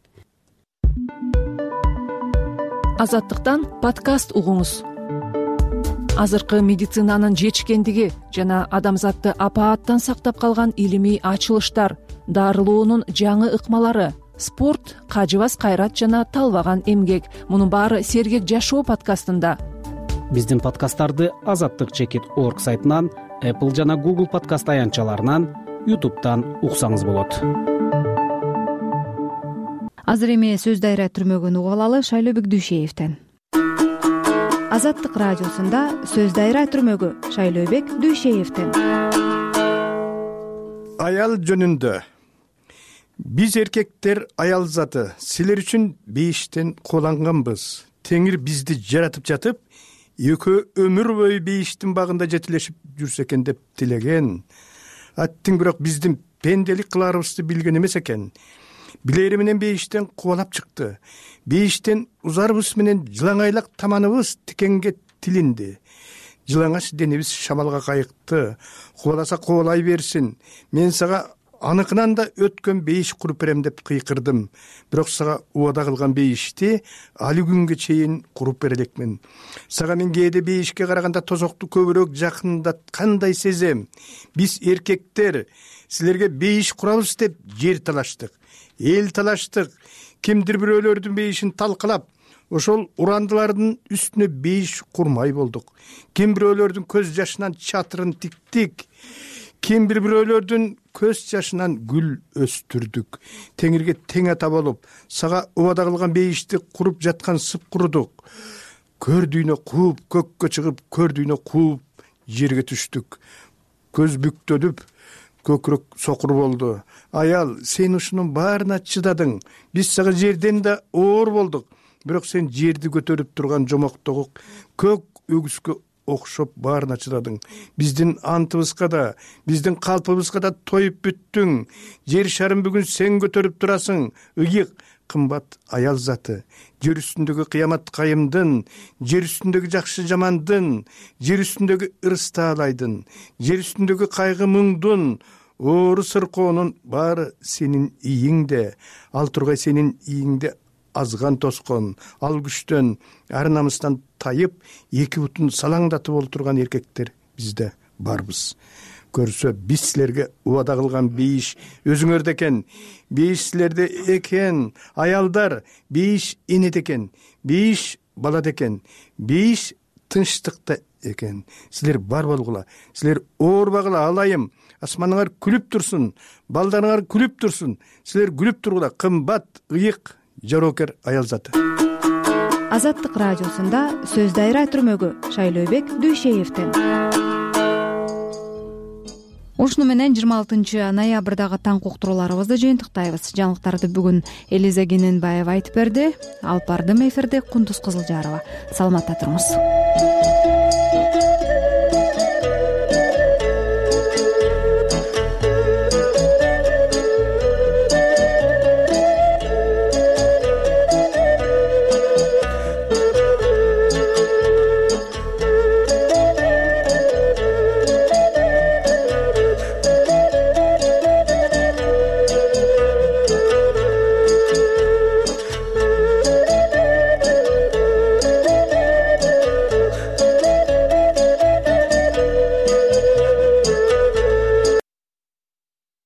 Азаттыктан подкаст угуңуз. Азыркы медицинанын жетишкендиги жана адамзатты апааттан сактап калган илимий ачылыштар, дарылоонун жаңы ыкмалары, спорт, кажыбас кайрат жана талбаган эмгек. Мунун баары Сергек жашоо подкастында. Биздин подкасттарды azattik.org сайтынан, Apple жана Google подкаст аянтчаларынан, YouTube'дан уксаңыз болот. Азыр эми сөз дайра түрмөгүн угуп алалы Шайлообек Дүйшеевден. Азаттык радиосунда сөз дайра түрмөгү Шайлообек Дүйшеевден. Аял жөнүндө. Биз эркектер аял заты, силер үчүн бейиштен кууланганбыз. Теңир бизди жаратып жатып, экөө өмүр бою бейиштин багында жетилешип жүрсө экен деп тилеген. Аттың бирок биздин пенделик кылаарыбызды билген эмес экен. Билери менен бейиштен кубалап чыкты. Бейиштен узарыбыз менен жылаңайлак таманыбыз тикенге тилинди. Жылаңач денебиз шамалга кайыкты. Кубаласа кубалай берсин. Мен сага аныкынан да өткөн бейиш куруп берем деп кыйкырдым. Бирок сага убада кылган бейишти али күнгө чейин куруп бере элекмин. Сага мен кээде бейишке караганда тозокту көбүрөөк жакындаткандай сезем. Биз эркектер силерге бейиш курабыз деп жер талаштык, эл талаштык. Кимдир бирөөлөрдүн бейишин талкалап, ошол урандылардын үстүнө бейиш курмай болдук. Ким бирөөлөрдүн көз жашынан чатырын тиктик. Ким бирөөлөрдүн көз жашынан гүл өстүрдүк. Теңирге тең ата болуп, сага убада кылган бейишти куруп жаткан сыпкурдук. Көрдүйнө кууп, көккө чыгып, көрдүйнө кууп, жерге түштүк. Көз бүктөлүп, көкүрөк сокур болду. Аял, сен ушунун баарына чыдадың. Биз сага жерден да оор болдук. Бирок сен жерди көтөрүп турган жомоктогу көк өгүзгө окшоп баарына чыдадың. Биздин антыбызга да, биздин калпыбызга да тоюп бүттүң. Жер шарын бүгүн сен көтөрүп турасың. Ыйык, кымбат аял заты. Жер үстүндөгү кыямат кайымдын, жер үстүндөгү жакшы жамандын, жер үстүндөгү ырыс таалайдын, жер үстүндөгү кайгы муңдун, оору сыркоонун баары сенин ийиңде. Ал тургай сенин ийиңде азган тоскон, ал күчтөн, ар намыстан тайып, эки бутун салаңдатып олтурган эркектер бизде барбыз. Көрсө биз силерге убада кылган бейиш өзүңөрдө экен. Бейиш силерде экен. Аялдар, бейиш энеде экен. Бейиш балада экен. Бейиш тынчтыкта экен. Силер бар болгула. Силер оорбагыла, алайым. Асманыңар күлүп турсун, балдарыңар күлүп турсун. Силер күлүп тургула. Кымбат, ыйык, жароокер аял заты. Азаттык радиосунда сөз дайра түрмөгү Шайлообек Дүйшеевден. Ушуну менен 26 ноябрдагы таң уктурууларыбызды жыйынтыктайбыз. Жаңылыктарды бүгүн Элиза Кененбаева айтып берди. Алып бардым эфирде Кундуз Кызылжарова. Саламатта туруңуз.